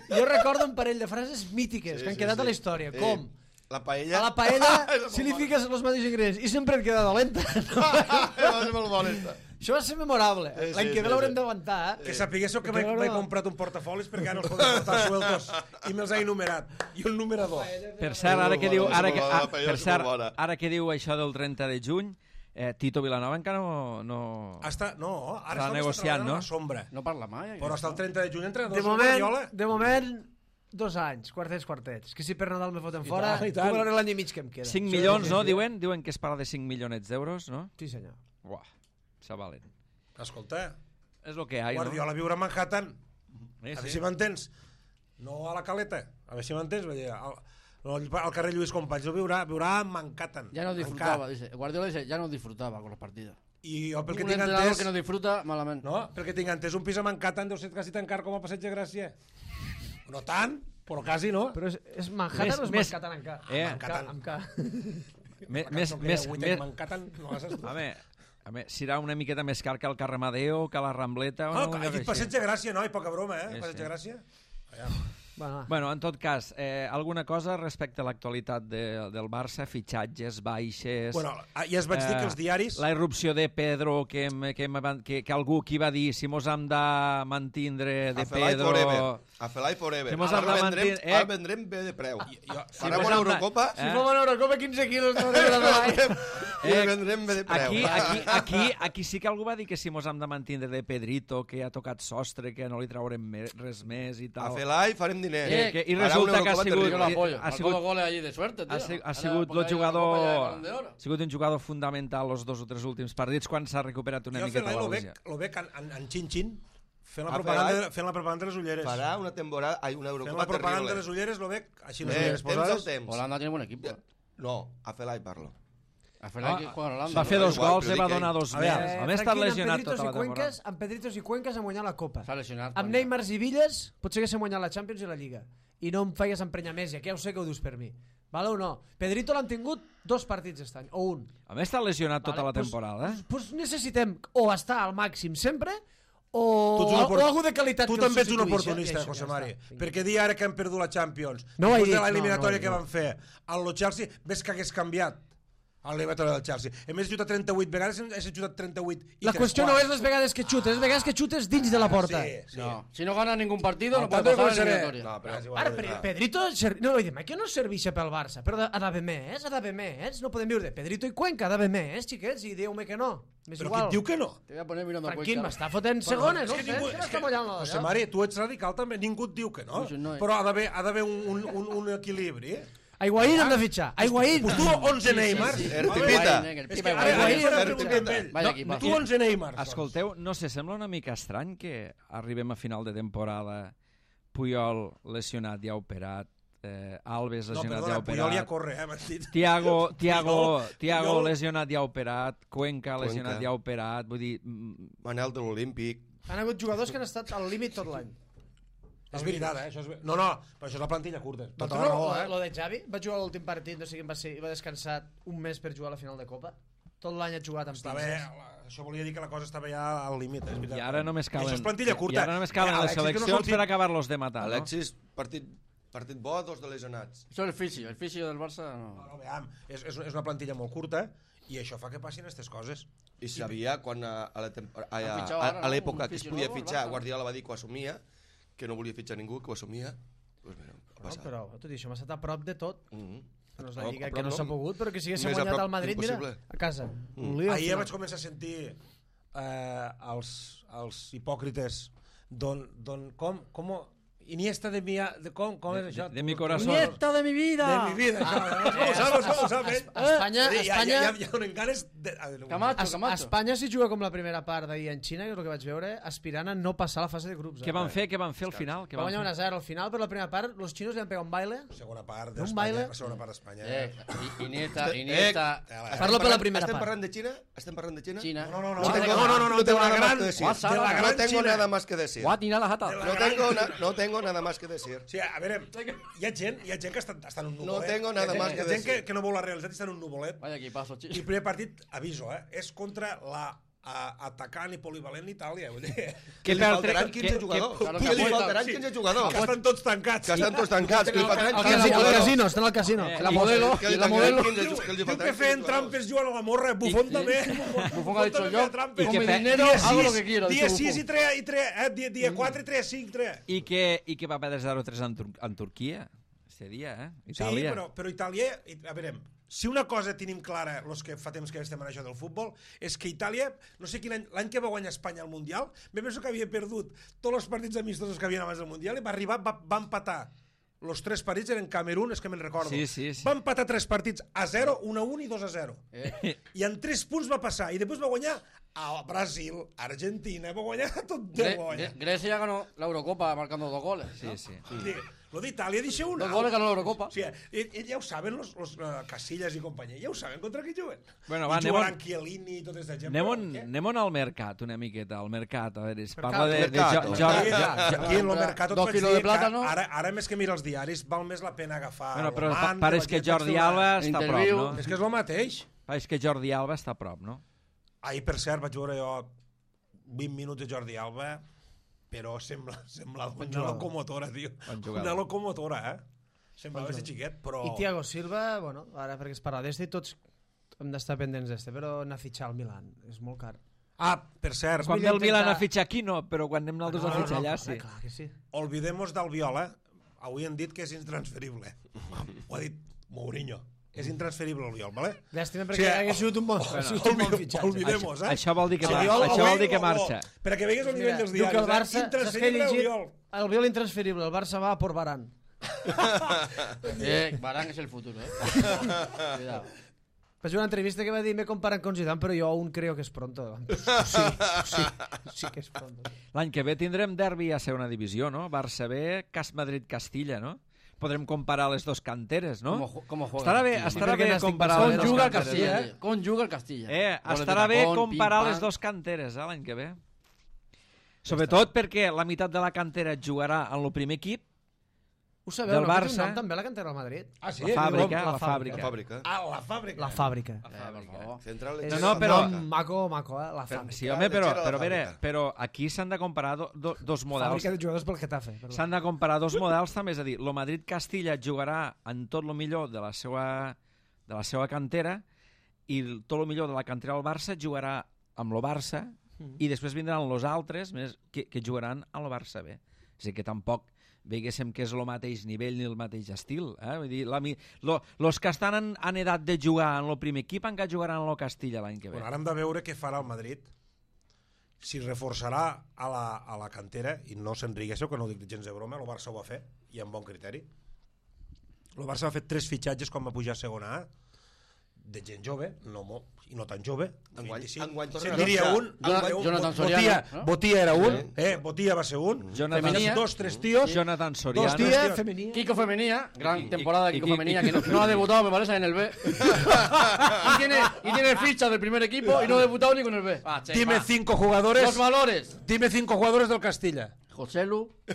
jo recordo un parell de frases mítiques
Sí,
que han
sí,
quedat
sí.
a la història,
Eh,
com
La paella...
a la paella
Eso
si li
molt
fiques els mateixos ingredients i sempre et queda dolenta.
bona. Va ser molt bona, esta.
Això va ser memorable.
Sí,
L'any
sí,
que ve
sí,
l'haurem
sí.
d'aguantar, eh?
Que sapiguéssiu que
Perquè
m'he
no-
m'he comprat un portafolis perquè ja no els podem portar sueltos i me'ls he enumerat. I un numerador.
Per cert, ara que
molt
diu,
bona,
ara
és
que,
molt bona,
ah,
la paella
per
és
cert,
molt bona.
ara que diu això del trenta de juny, eh, Tito Vilanova encara no... no...
Hasta, no, ara
Està
està
negociant,
treballant
no?
a la sombra.
No parla mai.
Però hasta el trenta de juny entrenador
De
és el
moment,
Guardiola.
de moment, dos anys, quartets, quartets. Que si per Nadal me foten fora,
tant, i
tu
tant.
veuràs l'any i mig que em queda.
cinc
Sí,
milions,
sí,
no?
sí.
Diuen, diuen que es parla de cinc milionets d'euros, no?
Sí, senyor.
Buah, xavalent.
Escolta,
És el que hi ha, no?
Guardiola viure a Manhattan.
Sí,
A veure
sí.
si m'entens. No a la caleta. A veure si m'entens. Vull dir, Al, al, al carrer Lluís Companys no viurà, viurà a Manhattan.
Ya no
Encara.
disfrutaba, dice. Guardiola dice, ya no disfrutaba con los partidos.
I jo pel que
Un
tinc
entrenador
entès...
que no disfruta, malamente.
No, perquè tinc entès un pis a Manhattan deu ser quasi tan car com a Passeig de Gràcia. No tant, però quasi no.
Però és, és Manhattan
Més-
o és
més-
Manhattan en K?
Eh,
Amb K, amb K.
Més,
La
més,
cançó que
més,
era Witek
més,
Manhattan, no l'has escoltat?
home, home, serà una miqueta més car que el carrer Amadeo, que la Rambleta... o
No,
no,
he dit Passeig de Gràcia, no, i poca broma, eh?
Sí,
Passeig
sí.
de Gràcia. Allà.
Bueno, va.
Bueno, en tot cas, eh, alguna cosa respecte a l'actualitat de, del Barça, fitxatges, baixes...
Bueno, ja es vaig dir que els diaris...
La irrupció de Pedro, que, em- que, em- que, que algú qui va dir si mos hem de mantindre de
A Felai
Pedro...
forever. A Felai forever.
Que mos
Ara
hem de
vendrem,
mantenir- eh?
ara vendrem bé de preu.
jo-
Farem
mos
una
hem de-
Eurocopa
eh?
Si fom a l'Eurocopa, quinze quilos no de
i
Eh,
vendrem bé de preu.
Aquí, aquí, aquí, aquí sí que algú va dir que si mos hem de mantindre de Pedrito, que ha tocat sostre, que no li traurem me, res més i
A
tal.
Felai farem diners.
Que- que- i
Farà
resulta
una
que ha
Eurocopa
sigut-
Yo lo
terrible.
apoyo.
ha
Marcó
sigut-
dos goles allí de suerte, tío.
Ha, si- ha
Ahora
sigut
ponga
el
ahí una copa de
jugador
Balón de Oro.
ha sigut un jugador fundamental els dos o tres últims partits quan s'ha recuperat una
Jo
miqueta
Felai
la
lo veig,
lesió.
lo veig en, en, en xin-xin fent la,
A
propaganda,
Felai
fent la propaganda de les ulleres.
Farà una temporada, ai, una
Fent
Eurocopa
la propaganda de
terrible.
les ulleres lo veig així les
Eh,
ulleres
temps al
posades.
temps.
Holanda tiene buen equipo.
No, a Felai parlo.
Al final
Ah,
que juega en Holanda.
Va fer
no,
dos
igual,
gols
però
i va
dic que-
donar dos
A
més.
veure,
A més, està
Franquín,
lesionat
amb Pedritos
tota la
i Cuenques,
temporada.
amb Pedritos i Cuenques han guanyat la Copa.
S'ha lesionat.
Amb Neymar i Villas potser haguéssim guanyat la Champions i la Lliga. I no em feien emprenyar més, ja que ja ho sé que ho dius per mi. Vale o no? Pedrito l'han tingut dos partits aquest any, o un.
A més, està lesionat tota
Vale,
la
pues-
temporada.
Pues, pues necessitem o estar al màxim sempre o,
Tu ets un
o,
opor-
o algú de qualitat
Tu
que el
també ets un
substituïssi,
oportunista,
i això,
José
ja
Mari.
està.
Perquè dir ara que han perdut la Champions,
No ho he
després
dit,
de l'eliminatòria
no, no,
que
no.
van fer, al lo Chelsea, ves que hagués canviat. l'eliminatori del Chelsea. Hem jugat trenta-vuit vegades, hem jugat trenta-vuit i
La
tres
qüestió no
quarts.
és les vegades que xutes, les vegades que xutes dins de la porta.
Sí, sí.
No. Si no gana ningún partido, no
Al
puede
tanto
pasar a la
començaré.
eliminatoria.
No, però...
És igual,
Ara,
és
Pe-
igual.
Pedrito, ser... no, oye, que no serveix pel Barça, però ha d'haver més, ha d'haver més, no podem viure de Pedrito i Cuenca, ha d'haver més, xiquets, i diu-me que no. M'és
Però qui
igual.
et diu que no?
Te voy a poner mirando a
Franquín
Cuenca.
m'està fotent segones, no
És
sé,
que ningú-
que no
és
està
que-
mullant la
José Mari, tu ets radical també, ningú et diu que no.
Pues no, eh.
Però ha d'haver ha d'haver un, un, un, un equilibri.
Aiguaín hem de fitxar, Aiguaín.
Pues tu onze Neymar.
sí.
El
A veure,
Pipita.
Higuaín, el
És
Pipa
que ara, ara
Higuaín.
faré una
El
pregunta amb
Pipita.
ell.
Vaya
No,
equipazo.
tu onze Neymar.
Escolteu, no sé, sembla una mica estrany que arribem a final de temporada, Puyol lesionat i ha operat, eh, Alves
No,
lesionat i ha
perdona, Puyol ja
operat,
corre, eh, m'has dit.
Tiago, Tiago,
Puyol-
Tiago
Puyol-
lesionat i ha operat, Cuenca lesionat
Cuenca.
i ha operat, vull dir, mm,
Manel de l'Olímpic.
Han hagut jugadors que han estat al límit tot l'any.
És veritat, eh? Això és... ver- No, no, però això és la plantilla curta. Tota
Tota
la raó,
lo,
eh?
lo de Xavi, va jugar l'últim partit, no sé quin va ser, i va descansar un mes per jugar a la final de Copa. Tot l'any ha jugat amb
Està bé,
pinces.
la- això volia dir que la cosa estava ja al límit, és veritat.
i ara només
I
calen,
això és plantilla curta.
i ara només calen
Eh,
les
Alexis, que no
seleccions
surti-
per acabar-los de matar, no?
Alexis, partit, partit bo, dos de lesionats.
Eso es el fisio. El fisio del Barça no.
No, no, veam, és, és, és una plantilla molt curta i això fa que passin aquestes coses.
I sabia quan a, a la tempor- a,
Han
a,
fitxat
a,
ara,
a
no?
l'època
Un
que es
fisio
podia
nou, el
fitxar,
Barça.
Guardiola va dir que ho assumia, que no volia fitxar ningú, que ho assumia. Pues mira, ha
No,
passat.
però, tot i això, m'ha estat a prop de tot.
Mm -hmm.
No és la Lliga que no s'ha pogut, però que si haguéssim
Més a
guanyat
prop
al Madrid, mira,
impossible.
a casa.
Mm.
Un lío, al
Ahir ja
final.
vaig començar a sentir eh, els, els hipòcrites don, don, com, com Iniesta de mi, de, com, com és això?
de- de mi corazón.
¡Nieta de mi vida!
De mi vida, això. Com ho saps, com ho saps, eh?
Espanya,
Ja, ja,
Espanya,
ja, ja donen ganes de... a veure,
Camacho,
Es-
Camacho.
Espanya si juga com la primera part d'ahir en Xina, que és el que vaig veure, aspirant a no passar la fase de grups. eh?
Què van fer? Què van fer al final? Què
Va
van
guanyar
fer?
un a zero al final, però la primera part, los xinos li han pegat un baile.
segona part
Un
d'Espanya,
baile.
la segona part d'Espanya.
Eh, I- Iniesta,
Eh,
Iniesta.
eh,
Estem
Parlo per la
parlant-
primera
Estem
part.
parlant de Xina? Estem parlant de Xina?
China.
No, no, no,
No
no,
tengo-
no, no, no,
no
de
tengo
la
nada más
gran,
que decir.
WhatsApp,
de la
no
gran
No tengo
Xina.
nada más que decir.
Guatina la jata.
No tengo, na- no tengo nada más que decir.
Sí, a veure, hi ha gent, hi ha gent que està, està en un nuvolet.
No tengo nada
Hi ha
más
gent-
que
Hi ha gent
decir.
que, que no veu la realitat i està en un nuvolet.
Vaya equipazo,
I
chico.
el primer partit, aviso, eh, és contra la a, atacant i polivalent Itàlia. Vull dir,
Que li
per
faltaran
tre-
quinze
que-
jugadors.
que-
Que li
que-
faltaran
sí.
quinze jugadors.
que estan tots tancats.
Que estan tots tancats. Que li faltaran
Al
quinze
casino, al
jugadors.
casino, estan al casino.
Eh,
La
i-
modelo,
Que li
la
tancaran
modelo.
quinze
Diu,
ju- que li
diu
faltaran
que feien
quinze
trampes jugant a la morra, Bufón
sí.
també.
Bufón ha dicho
també
yo,
feia trampes.
con mi
fe-
dinero
Dia
hago lo
sis,
que quiero.
Dia
dice
sis
Buffon.
i tres, i tres, eh, dia, dia quatre i tres, cinc, tres.
I que, i que va perdre zero tres en, Tur en Turquia, este dia, eh? Itàlia.
Sí, però, però Itàlia, i- a veure, si una cosa tenim clara, els que fa temps que estem en això del futbol, és que Itàlia, no sé quin any, l'any que va guanyar Espanya al Mundial, me penso que havia perdut tots els partits amistosos que havien abans del Mundial i va arribar, va, va empatar els tres partits eren Camerún, és que me'n recordo.
Sí, sí, sí.
Va empatar tres partits a zero, un a un i dos a zero.
Eh.
I en tres punts va passar. I després va guanyar a Brasil, Argentina, va guanyar tot de
Gre-
guanya.
Gre- Grecia ganó la Eurocopa marcando dos goles.
Sí,
¿no?
sí.
Vull dir, lo d'Itàlia deixa una.
Dos goles ganó la Eurocopa.
Sí, i, i ja ho saben los, los uh, Casillas i companyia, ja ho saben contra qui juguen.
Bueno,
I
va, anem
jugaran
on-
Chiellini i tota aquesta gent.
Anem,
però
on,
què?
anem on al mercat, una miqueta, al mercat. A veure, es parla de, de,
Mercato.
jo,
Sí,
Jordi,
ja, ja, aquí en lo mercat
Dos
et vaig
quilos
dir
de
que
plàtano.
Ara, ara més que mira els diaris val més la pena agafar
bueno, però
el
pa,
man,
pareix que
la gent
Jordi
faig una-
Alba està a prop,
Interview.
no?
És que és el mateix.
Pareix que Jordi Alba està a prop, no?
Ahir, per cert, vaig veure jo vint minuts de Jordi Alba, però sembla, sembla una
jugador.
locomotora, tio.
Bon jugador.
Una locomotora, eh? Semblava ser xiquet, però...
I Thiago Silva, bueno, ara perquè es parla d'este, tots hem d'estar pendents d'este, però anar a fitxar al Milan és molt car.
Ah, per cert,
Quan ve
millor
el Milan
intentar-
a fitxar aquí, no, però quan anem nosaltres a fitxar allà, sí.
Clar que sí.
olvidemos d'Albiol, eh? Avui han dit que és intransferible. Ho ha dit Mourinho. És intransferible Albiol, vale?
Llàstima perquè hagués sigut un bon,
Bueno,
sigut un bon
olvi-
fitxatge.
Olvidemos, eh?
Això vol dir que
Sí,
mar-
Albiol,
això vol
avui,
dir que
o- o-
marxa.
Per a que vegues el nivell dels
Diu
diaris,
que el Barça,
eh?
saps què he
Intransferible
llegit?
Albiol.
Albiol intransferible, el Barça va por Varane.
Eh, Varane es el futuro, ¿eh? Cuidado.
Vaig veure una entrevista que va dir me comparan con Zidane, però jo aún creo que es pronto. Sí, sí, sí que és pronto.
L'any que ve tindrem derbi a segona divisió, no? Barça B, Cas Madrid-Castilla, no? Podrem comparar les dos canteres, no?
¿Cómo, ju- cómo juega?
Estarà bé,
Castilla?
estarà
Sí,
bé
perquè n'estic
comparar
pensant
les dos
Conjuga el
canteres.
Castilla,
eh?
eh? Conjuga el Castilla.
Eh,
Goles de
estarà bé
tacón,
comparar
pim,
les
pam.
dos canteres, eh, l'any que ve. Sobretot perquè la meitat de la cantera jugarà en el primer equip,
Ho sabeu,
Del
no? Que té un
Barça.
nom també la cantera del Madrid.
Ah, sí?
la fàbrica,
la
la
fàbrica.
La
fàbrica.
fàbrica.
Ah, la fàbrica.
La fàbrica.
Eh, por favor.
Central
És
No, no, però-
un nom maco, maco, eh? La fàbrica.
Sí, home, però,
Lletgera la
però, a veure,
fàbrica.
però aquí s'han de comparar do, do, dos models.
Fàbrica de jugadors pel Getafe. perdó.
S'han de comparar dos models també, és a dir, el Madrid-Castilla jugarà en tot el millor de la seva, de la seva cantera i el- tot el millor de la cantera del Barça jugarà amb el Barça mm. i després vindran els altres més que, que jugaran a el Barça B. És a dir, que tampoc veiguéssim que és el mateix nivell ni el mateix estil. Eh? Vull dir, la, lo, los que estan en, en edat de jugar en el primer equip encara jugaran a lo Castilla l'any que ve.
Bueno, ara hem de veure què farà el Madrid, si reforçarà a la, a la cantera, i no se'n riguéssiu, que no ho dic gens de broma, el Barça ho va fer, i amb bon criteri. El Barça va fer tres fitxatges quan va pujar a segona A, de gent jove, no molt, i no tan jove, de
Enguany-
vint-i-cinc.
enguany torna
Se'n
a
diria
dotze.
un,
Jonathan-
un,
Jonathan
Botia,
Soriano, no?
Botia era un,
Sí.
eh, Botia va ser un,
Jonathan-
Femenia, dos, tres tios,
Jonathan Soriano.
dos tios,
Hostia, femenina.
Kiko Femenía, gran
Y-
temporada de
y-
Kiko
y-
Femenía,
y-
que no, no ha debutado, me parece, en el B. y, tiene, y tiene ficha del primer equipo y no ha debutado ni con el B. Ah, che,
dime
va.
cinco jugadores,
Los valores.
dime cinco jugadores del Castilla.
José Lu.
Sí,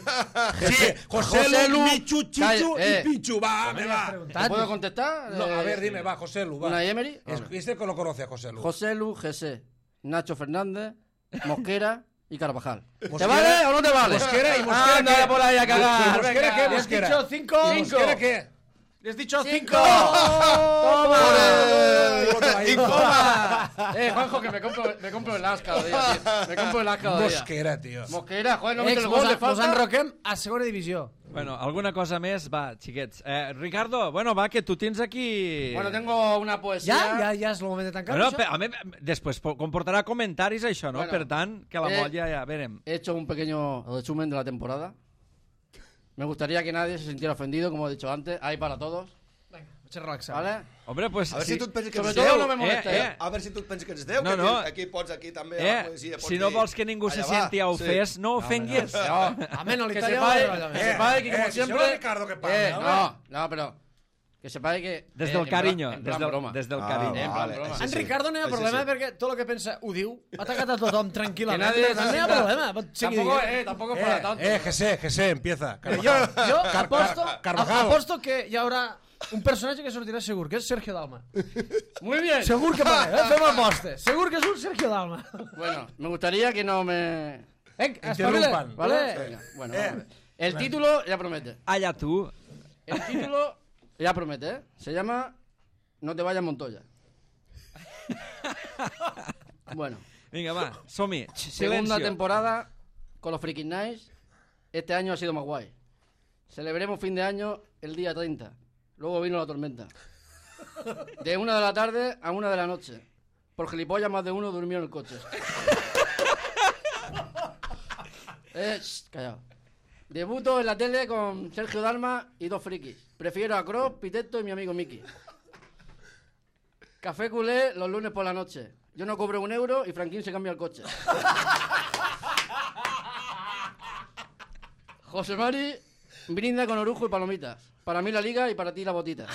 José,
José Lu,
Lu, Michu, Chichu
Calla, eh.
y Pichu, va, me va.
¿Te puedo contestar?
No, a
Eh,
ver, dime, va, José Lu, va.
¿Una Emery?
Es, este que lo conoce a José Lu.
José Lu, G C, Nacho Fernández, Mosquera y Carvajal. ¿Te
Mosquera-
vale o no te vale?
Mosquera y Mosquera.
Anda
¿qué?
por ahí a cagar.
¿Y Mosquera
venga.
qué?
¿Le has
Mosquera.
dicho cinco?
¿Y Mosquera qué?
Les he dicho
¡Cinco!
cinco.
¡Toma!
¡Toma!
Eh, Juanjo, que me compro, me compro el as cada día, tío. Me compro el as cada día.
Mosquera, tío.
Mosquera, joder, no mete
Ex,
el gol,
mos,
le
mos
falta.
enroquem a segona divisió.
Bueno, alguna cosa més? Va, xiquets. Eh, Ricardo, bueno, va, que tu tens aquí...
Bueno, tengo una poesía.
Ja, ja, ja és el moment de tancar
Bueno,
això?
pe- a mi, després po- comportarà comentaris això, no?
Bueno,
Per tant, que la
eh,
molla ja verem.
He hecho un pequeño resumen de la temporada. Me gustaría que nadie se sintiera ofendido, como he dicho antes. Hay para todos,
Vinga, vaig a relaxar.
¿vale?
Hombre, pues...
A veure si tu et penses que
Sobre
ets
todo
Déu.
no me molesta.
eh,
Eh,
eh.
A veure si tu et penses que ets Déu,
No,
que
no.
aquí, aquí pots, aquí també, a
Eh,
la poesia, pots
si no
dir,
vols que ningú se
allà va,
senti ofès, no ofenguis.
No,
Home, no,
que
l'Itàlia
sepáis,
va a
que
Eh,
sepáis que como
eh, si
siempre...
solo Ricardo que parla,
eh,
home.
no, no, pero... Que sepáis que...
Des
eh,
del
en
carinyo,
plan- en
des
plan
del,
broma.
des del
Ah,
carinyo.
Eh, en plan broma.
sí,
En
sí.
Ricardo no hi ha
Així
problema
sí.
perquè tot el que pensa ho diu. Ha atacat a tothom tranquil·lament.
Que nadie
Per
se
tant, no hi ha
sienta-
problema. Pot seguir
Tampoco,
dient.
eh, tampoco es para tanto.
Eh, eh, José, José, empieza.
Eh, jo, jo
Car-
aposto,
Car- Carvajal.
aposto que hi haurà un personatge que sortirà segur, que és Sergio Dalma.
Muy bien.
Segur que parlem, eh? Fem apostes. Segur que és un Sergio Dalma.
Bueno, me gustaría que no me...
Vinga,
Interrumpan.
espavila.
¿Vale?
Vale.
Venga, bueno,
Eh.
vamos a ver. El título ya promete.
Allà tu.
El título ya promete, ¿eh? Se llama No te vayas Montoya. Bueno,
Vinga, va, som-hi.
segunda
Silencio.
temporada con los Freaking Nights. Este año ha sido más guay. Celebremos fin de año el día treinta. Luego vino la tormenta. De una de la tarde a una de la noche. Por gilipollas más de uno durmió en el coche. Eh, shh, callado. Debuto en la tele con Sergio Dalma y dos frikis. Prefiero a Cross, Piteto y mi amigo Miki. Café culé los lunes por la noche. Yo no cobro un euro y Franquín se cambia el coche. José Mari brinda con orujo y palomitas. Para mí la liga y para ti la botita.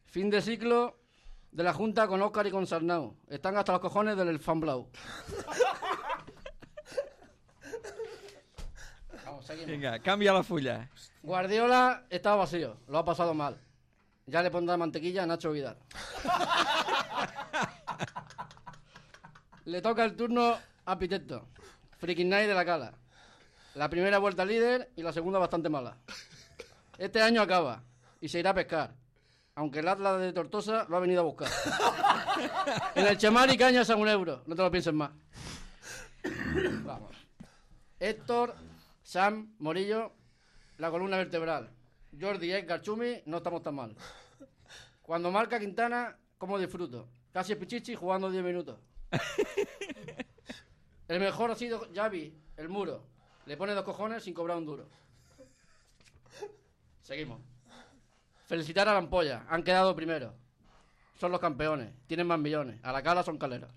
Fin de ciclo de la Junta con Óscar y con Sarnau. Están hasta los cojones del fan blau. Vamos, seguimos.
Vinga, canvia la fulla.
Guardiola estaba vacío, lo ha pasado mal. Ya le pondrá mantequilla a Nacho Vidal. Le toca el turno a Piteto. Freaking Night de la Cala. La primera vuelta líder y la segunda bastante mala. Este año acaba y se irá a pescar. Aunque el Atlas de Tortosa lo ha venido a buscar. En el Chemari cañas a un euro. No te lo pienses más. Vamos. Héctor, Sam, Morillo, la columna vertebral. Jordi, Edgar, Chumi, no estamos tan mal. Cuando marca Quintana, ¿cómo disfruto? Casi Pichichi jugando diez minutos. El mejor ha sido Xavi, el muro. Le pone dos cojones sin cobrar un duro. Seguimos. Felicitar a la ampolla. Han quedado primero. Son los campeones. Tienen más millones. A la Cala son caleros.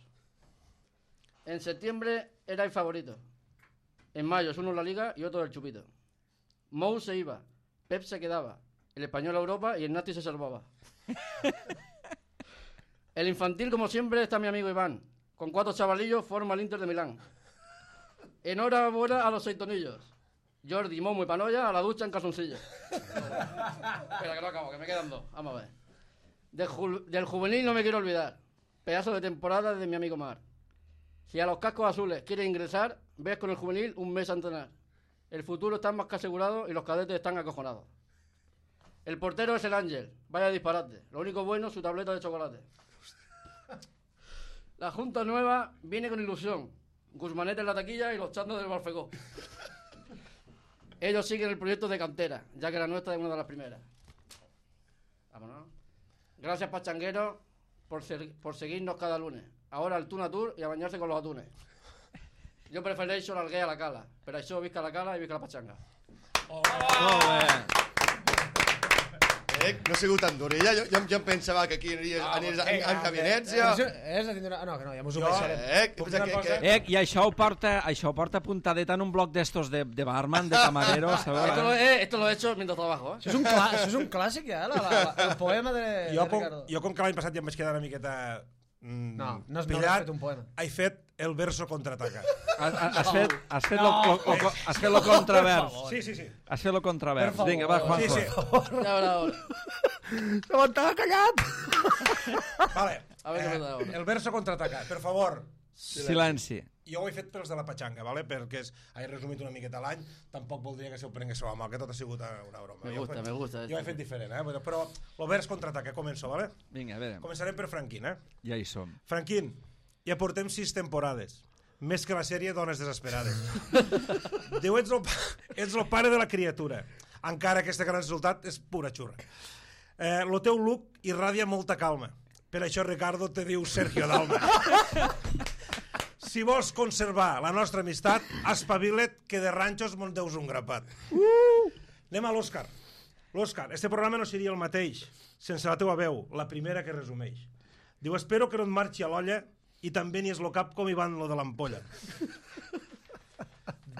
En septiembre era el favorito. En mayo es uno en la Liga y otro del Chupito. Mou se iba. Pep se quedaba. El español a Europa y el Nati se salvaba. El infantil, como siempre, está mi amigo Iván. Con cuatro chavalillos forma el Inter de Milán. Enhorabuena a los seis tonillos. Jordi, Momo y Panoya a la ducha en calzoncillos. Espera, que no acabo, que me quedan dos. Vamos a ver. Del, ju- del juvenil no me quiero olvidar. Pedazo de temporada de mi amigo Mar. Si a los cascos azules quieres ingresar, ves con el juvenil un mes a entrenar. El futuro está más que asegurado y los cadetes están acojonados. El portero es el Ángel. Vaya disparate. Lo único bueno, su tableta de chocolate. La junta nueva viene con ilusión. Guzmanete en la taquilla y los chandos del Barfegó. Ellos siguen el proyecto de cantera, ya que la nuestra es una de las primeras. Vámonos. Gracias, pachangueros, por, ser, por seguirnos cada lunes. Ahora al Tuna Tour y a bañarse con los atunes. Jo prefereixo l'Alguer a la cala. Per això visca la cala i visca la pachanga.
Oh, molt bé.
Eh, no ha sigut tan durella. Jo, jo, jo em pensava que aquí aniries ah, en, en, en cabinets. Ja.
És de tindre... No, que no, ja mos ho
Jo,
baixarem.
eh, que, que, que...
Eh, i això ho porta, això ho porta apuntadet en un bloc d'estos de, de barman, de camarero, sabeu?
Esto lo, eh, esto lo he hecho mientras trabajo, eh.
Això és un, clà, això és un clàssic, ja, la, la, la, el poema de,
Jo
de
com,
Ricardo.
jo com que l'any passat ja em vaig quedar una miqueta mm,
No, no has, no
pillat,
has fet un poema.
he fet el verso contraataca.
Has, has fet, has fet, lo, lo, lo, has fet lo contravers.
Sí, sí, sí.
Has fet lo contravers.
Per favor.
Vinga, va, Juanjo.
Sí, sí.
Ya verá ahora.
S'aguantava callat!
Vale.
A ver qué pasa ahora.
El verso contraataca, per favor.
Silenci.
Jo ho he fet pels de la patxanga, vale? Perquè és, he resumit una miqueta l'any, tampoc voldria que se ho prenguéssiu a mal, que tot ha sigut una broma.
Me
Jo
gusta,
he fet-
me gusta
Jo he
esto.
fet diferent, eh? Però el vers contraataca, començo, vale?
Vinga, a veure,
Començarem per Franquín, eh?
ja hi som.
Franquín, ja portem sis temporades. Més que la sèrie Dones Desesperades. Diu, ets el, pa- ets el pare de la criatura. Encara que este gran resultat és pura xurra. Eh, lo teu look irradia molta calma. Per això Ricardo te diu Sergio Dalma. Si vols conservar la nostra amistat, espavila't que de ranxos me'n deus un grapat. Anem a l'Òscar. L'Òscar, este programa no seria el mateix sense la teua veu, la primera que resumeix. Diu, espero que no et marxi a l'olla i també n'hi és lo cap com hi van lo de l'ampolla.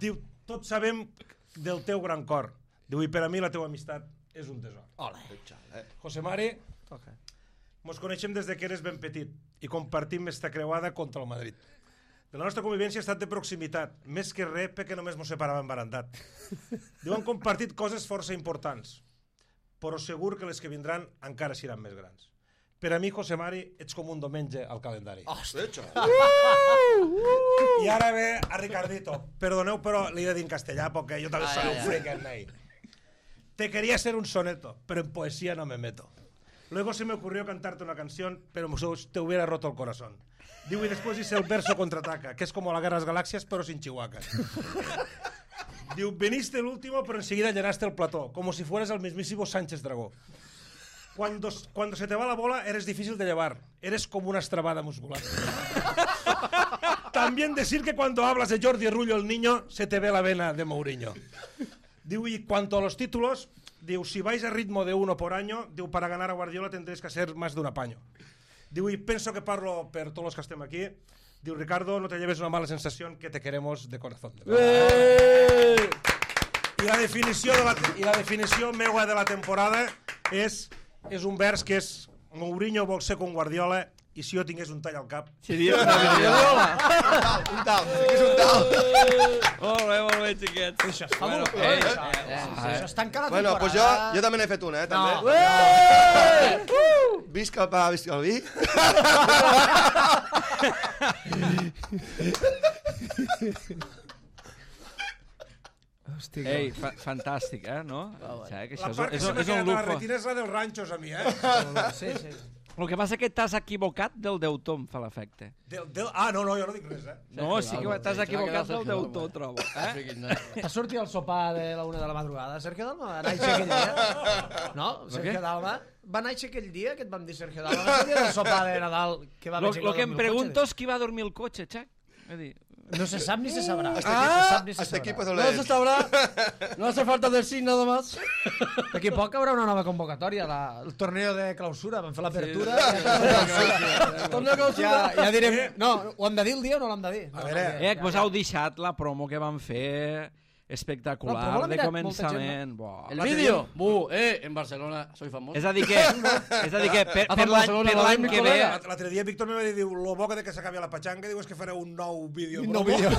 Diu, tots sabem del teu gran cor. Diu, i per a mi la teua amistat és un tesor.
Ole.
José Mari,
Toca.
mos coneixem des de que eres ben petit i compartim esta creuada contra el Madrid. De la nostra convivència ha estat de proximitat, més que res perquè només mos separàvem barandat. Diu, han compartit coses força importants, però segur que les que vindran encara seran més grans. Per a mi, José Mari, ets com un diumenge al calendari.
Hòstia.
I ara ve a Ricardito. Perdoneu, però li he de dir en castellà, perquè jo també
Ai,
soy
ai,
un
ai.
freak en ahí. Te quería hacer un soneto, pero en poesía no me meto. Luego se me ocurrió cantarte una canción, pero te hubiera roto el corazón. Digo, y después hice el verso contraataca, que es como la Guerra de las Galaxias, pero sin Chihuahua. Digo, viniste el último, pero enseguida llenaste el plató, como si fueras el mismísimo Sánchez Dragó. Cuando, cuando se te va la bola, eres difícil de llevar. Eres como una estrabada muscular. También decir que cuando hablas de Jordi Rullo el niño, se te ve la vena de Mourinho. Diu, y cuanto a los títulos, diu, si vais a ritmo de uno por año, diu, para ganar a Guardiola tendréis que hacer más de un apaño. Diu, y pienso que parlo per todos los que estem aquí. Diu, Ricardo, no te lleves una mala sensación, que te queremos de corazón.
¡Eh!
I la definició de la, i la definició meua de la temporada és, és un vers que és Mourinho vol ser com Guardiola i si jo tingués un tall al cap
Seria una videola.
Un tal, és un tal.
Molt bé, molt bé, xiquets.
Això es fa
Bueno,
molt bé,
ei,
això.
eh,
Eh, Això es tanca la
Bueno,
temporada.
pues jo, jo també n'he fet una, eh, també.
No.
Uh! Visca el pa, visca el vi.
Hosti,
Ei, fa fantàstic, eh, no? O sigui, que
la
això
part que
és,
se
és,
m'ha
és un
quedat a la
lujo.
retina és la dels ranxos a mi, eh?
sí, sí.
El que passa és que t'has equivocat del deutor, em fa l'efecte.
Del, del, ah, no, no, jo no dic res, eh?
No, sí que t'has
Se l'ha
equivocat
quedat
del
Sergio
deutor,
Dalma.
trobo.
Ah,
Eh?
friquis, no.
T'ha sortit el sopar de la una de la madrugada, Sergio Dalma? Va néixer aquell dia? No? Sergio
què?
Dalma va néixer aquell dia que et vam dir Sergio Dalma. Va ser el dia del sopar de Nadal que va
Lo,
haver gent
lo que em
dormir al
pregunto
cotxe.
és qui va dormir el cotxe, Xac. És a dir,
No se sap ni se sabrà.
Hasta
No
aquí,
se sap ni se
hasta aquí
sabrà.
puedo
No se
leer.
sabrá. No hace falta decir nada más.
D'aquí a poc haurà una nova convocatòria, la, el torneo de clausura. Vam fer l'apertura.
Torneo
Ja,
clausura.
ja direm... No, ho hem de dir el dia o no l'hem de dir? No,
A veure,
no,
eh, que vos heu deixat la promo que van fer
No,
espectacular,
però l'ha
de
mirat molta
començament. Buah.
El vídeo. Bu, eh, en Barcelona soy famoso.
És a dir que, és a dir que per,
Ha
per
fet
l'any
Barcelona,
per
va
l'any
dir
que
mi
ve...
col·lega.
l'altre dia Víctor me va dir, diu, lo bo que de que s'acabi la patxanga, diu, és que fareu un nou vídeo.
Un nou
promo.
vídeo.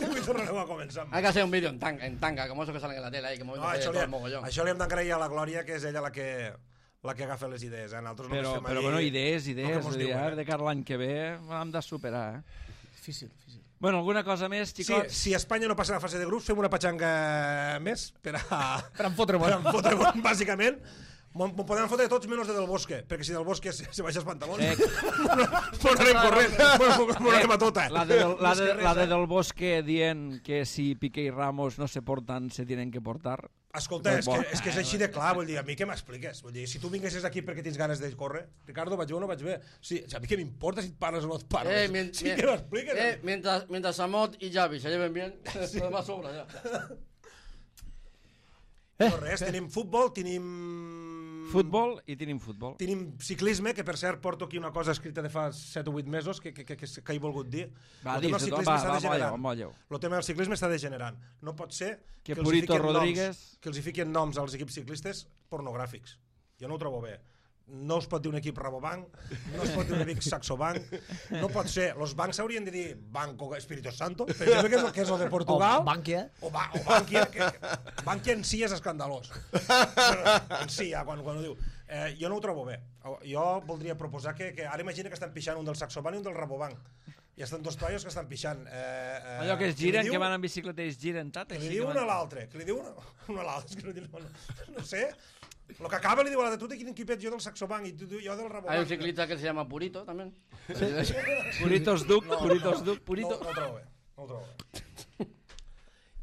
Diu, i tornareu a començar.
Hay que hacer un vídeo en tanga, en tanga, como esos que salen en la tele ahí, que mueven
No, això,
todo
li,
el mogollón.
això li hem d'agrair a la Glòria, que és ella la que, la que agafa les idees. Eh? Nosaltres només
Però,
fem
però
allí
bueno, idees,
el que
idees.
mos
Vull dir,
diuen,
ara,
eh?
de cara a l'any que ve hem de superar, eh?
Difícil, difícil.
Bueno, alguna cosa més,
Sí,
xicots?
si Espanya no passa a la fase de grups, fem una patxanga més per a...
Per en fotre
per en fotre bàsicament. M'ho podem fotre tots menys de Del Bosque, perquè si Del Bosque se, se baixa els pantalons,
Eh,
m'ho anem corrent, m'ho anem a tota.
La de, del- la, de, la de Del Bosque dient que si Piqué i Ramos no se portan, se tienen que portar.
Escolta, és que, és que és així de clar, vull dir, a mi què m'expliques? Vull dir, si tu vinguessis aquí perquè tens ganes de córrer, Ricardo, vaig bé o no vaig bé? Sí, a mi què m'importa si et parles o no et parles?
Eh, mien-
sí,
mien-
què m'expliques?
eh, mientras, mientras Samot y Javi se lleven bien, lo demás sobra ya.
No res, tenim futbol, tenim...
Futbol i tenim futbol.
Tenim ciclisme, que per cert porto aquí una cosa escrita de fa set o vuit mesos que, que, que, que, que he volgut dir.
Va,
El tema del
dis-ho,
ciclisme
va,
està
va,
degenerant.
molleu, molleu.
El tema del ciclisme està degenerant. No pot ser
Que
que, els hi
Purito
fiquen
Rodríguez-
noms, que els hi fiquen noms als equips ciclistes pornogràfics. Jo no ho trobo bé. No es pot dir un equip Rabobank, no es pot dir un equip Saxobank, no pot ser. Los bancs haurien de dir Banco Espíritu Santo, per exemple, que és, el- que és el de Portugal.
O Bankia.
O, ba, o Bankia, que, que Bankia en si és escandalós. En si, ja, quan, quan ho diu. Eh, jo no ho trobo bé. Jo voldria proposar que, que ara imagina que estan pixant un del Saxobank i un del Rabobank. I estan dos toios que estan pixant. Eh, eh,
Allò que es
li
giren,
diu-
que van en bicicleta i es giren, tant.
que
així
li diu
que
una a
van-
l'altre, que li diu una, una a l'altre, és que no, diu- no, no sé. Lo que acaba li diu a l'altre, tu de quin equipet, jo del Saxobank i tu, tu, jo del Rabobank.
Hay un ciclista que se llama Purito también.
Puritos Duc, Puritos Duc, Purito.
No, no ho trobo bé, no ho trobo bé.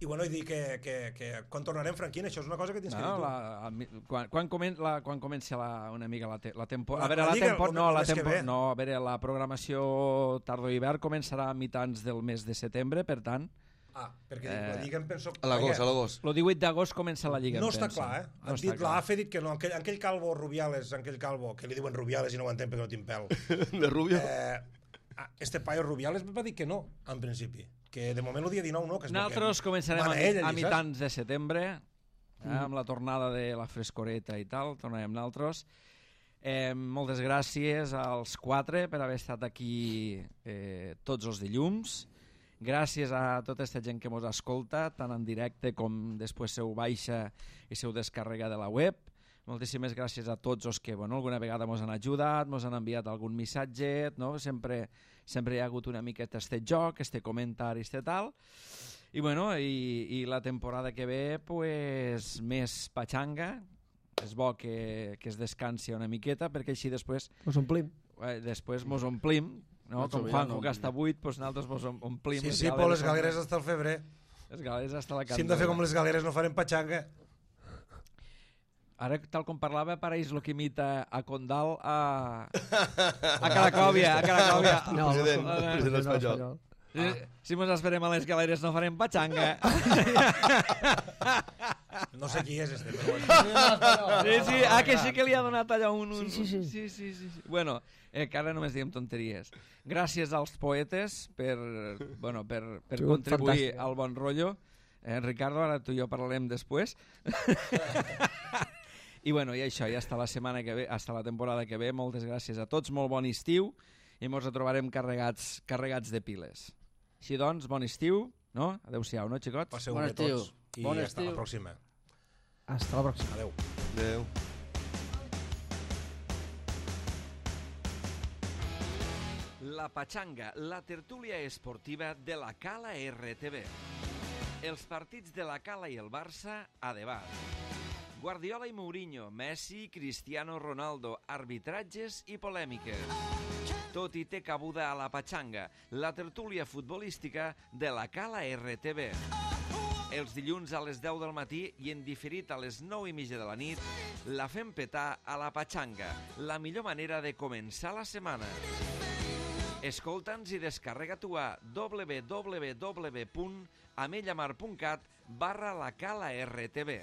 I bueno, i dir que, que, que quan tornarem, Franquín, això és una cosa que tens que dir
No,
tu.
la, a, quan, quan, comen, la, quan comença la, una mica la, te, la temporada...
La-
A veure,
la
la,
Lliga,
tempo,
el-
no,
el
la
mes que
tempo,
ve.
no, a veure, la programació tardor-hivern començarà a mitjans del mes de setembre, per tant,
Ah, perquè
Eh,
la Lliga em penso...
A l'agost, a
perquè
l'agost.
el divuit d'agost comença la Lliga,
No
em
està
penso.
clar, eh?
No
Han
està
dit,
clar.
l'A F ha dit que no, aquell, aquell calvo Rubiales, aquell calvo, que li diuen Rubiales i no ho entenc perquè no tinc pèl.
De Rubio.
Eh, ah, este paio Rubiales va dir que no, en principi. Que de moment el dia dinou no, que és
Nosaltres
que
començarem a,
mana ell,
a
allí,
mitjans de setembre, eh, amb la tornada de la frescoreta i tal, tornarem nosaltres. Eh, moltes gràcies als quatre per haver estat aquí eh, tots els dilluns. Gràcies a tota aquesta gent que mos escolta, tant en directe com després se ho baixa i se ho descarrega de la web. Moltíssimes gràcies a tots els que bueno, alguna vegada mos han ajudat, mos han enviat algun missatge, no? sempre, sempre hi ha hagut una miqueta este joc, este comentari, este tal. I, bueno, i, i la temporada que ve, pues, més patxanga. És bo que, que es descansi una miqueta, perquè així després
Us omplim.
eh, després mos omplim, no?
Nacho
Com
Villano,
Juanjo, que està buit, doncs nosaltres mos om- omplim.
Sí, sí, però les galeres hasta el febrer.
Les galeres hasta la
Si hem de fer com les galeres no farem patxanga.
Ara, tal com parlava, pareix el que imita a Condal a, a Caracòvia, a Caracòvia.
No, president,
Ah, ah,
president espanyol.
Si, si mos esperem a les galeres no farem patxanga.
No sé qui és este, però bueno.
Sí, sí, ah, que sí que li ha donat allò un... un
Sí, sí, sí.
sí, sí, sí, sí. Bueno, eh, que ara només diem tonteries. Gràcies als poetes per, bueno, per, per
Sigut
contribuir
fantàstic.
al bon rotllo. Eh, Ricardo, ara tu i jo parlarem després. I bueno, i això, ja està la setmana que ve, hasta la temporada que ve. Moltes gràcies a tots, molt bon estiu i ens retrobarem carregats, carregats de piles. Així doncs, bon estiu, no? Adéu-siau, no, xicots?
Passeu
Bon
bé
estiu.
tots. I
Bon
hasta la
estiu.
pròxima.
Hasta la pròxima.
Adéu.
Adéu.
La Patxanga, la tertúlia esportiva de la Cala R T V. Els partits de la Cala i el Barça a debat. Guardiola i Mourinho, Messi, Cristiano Ronaldo, arbitratges i polèmiques. Tot hi té cabuda a la Patxanga, la tertúlia futbolística de la Cala R T V. Els dilluns a les deu del matí i en diferit a les nou i mitja de la nit, la fem petar a la Patxanga, la millor manera de començar la setmana. Escolta'ns i descarrega-t'ho a w w w punt amellamar punt cat barra la Cala R T V.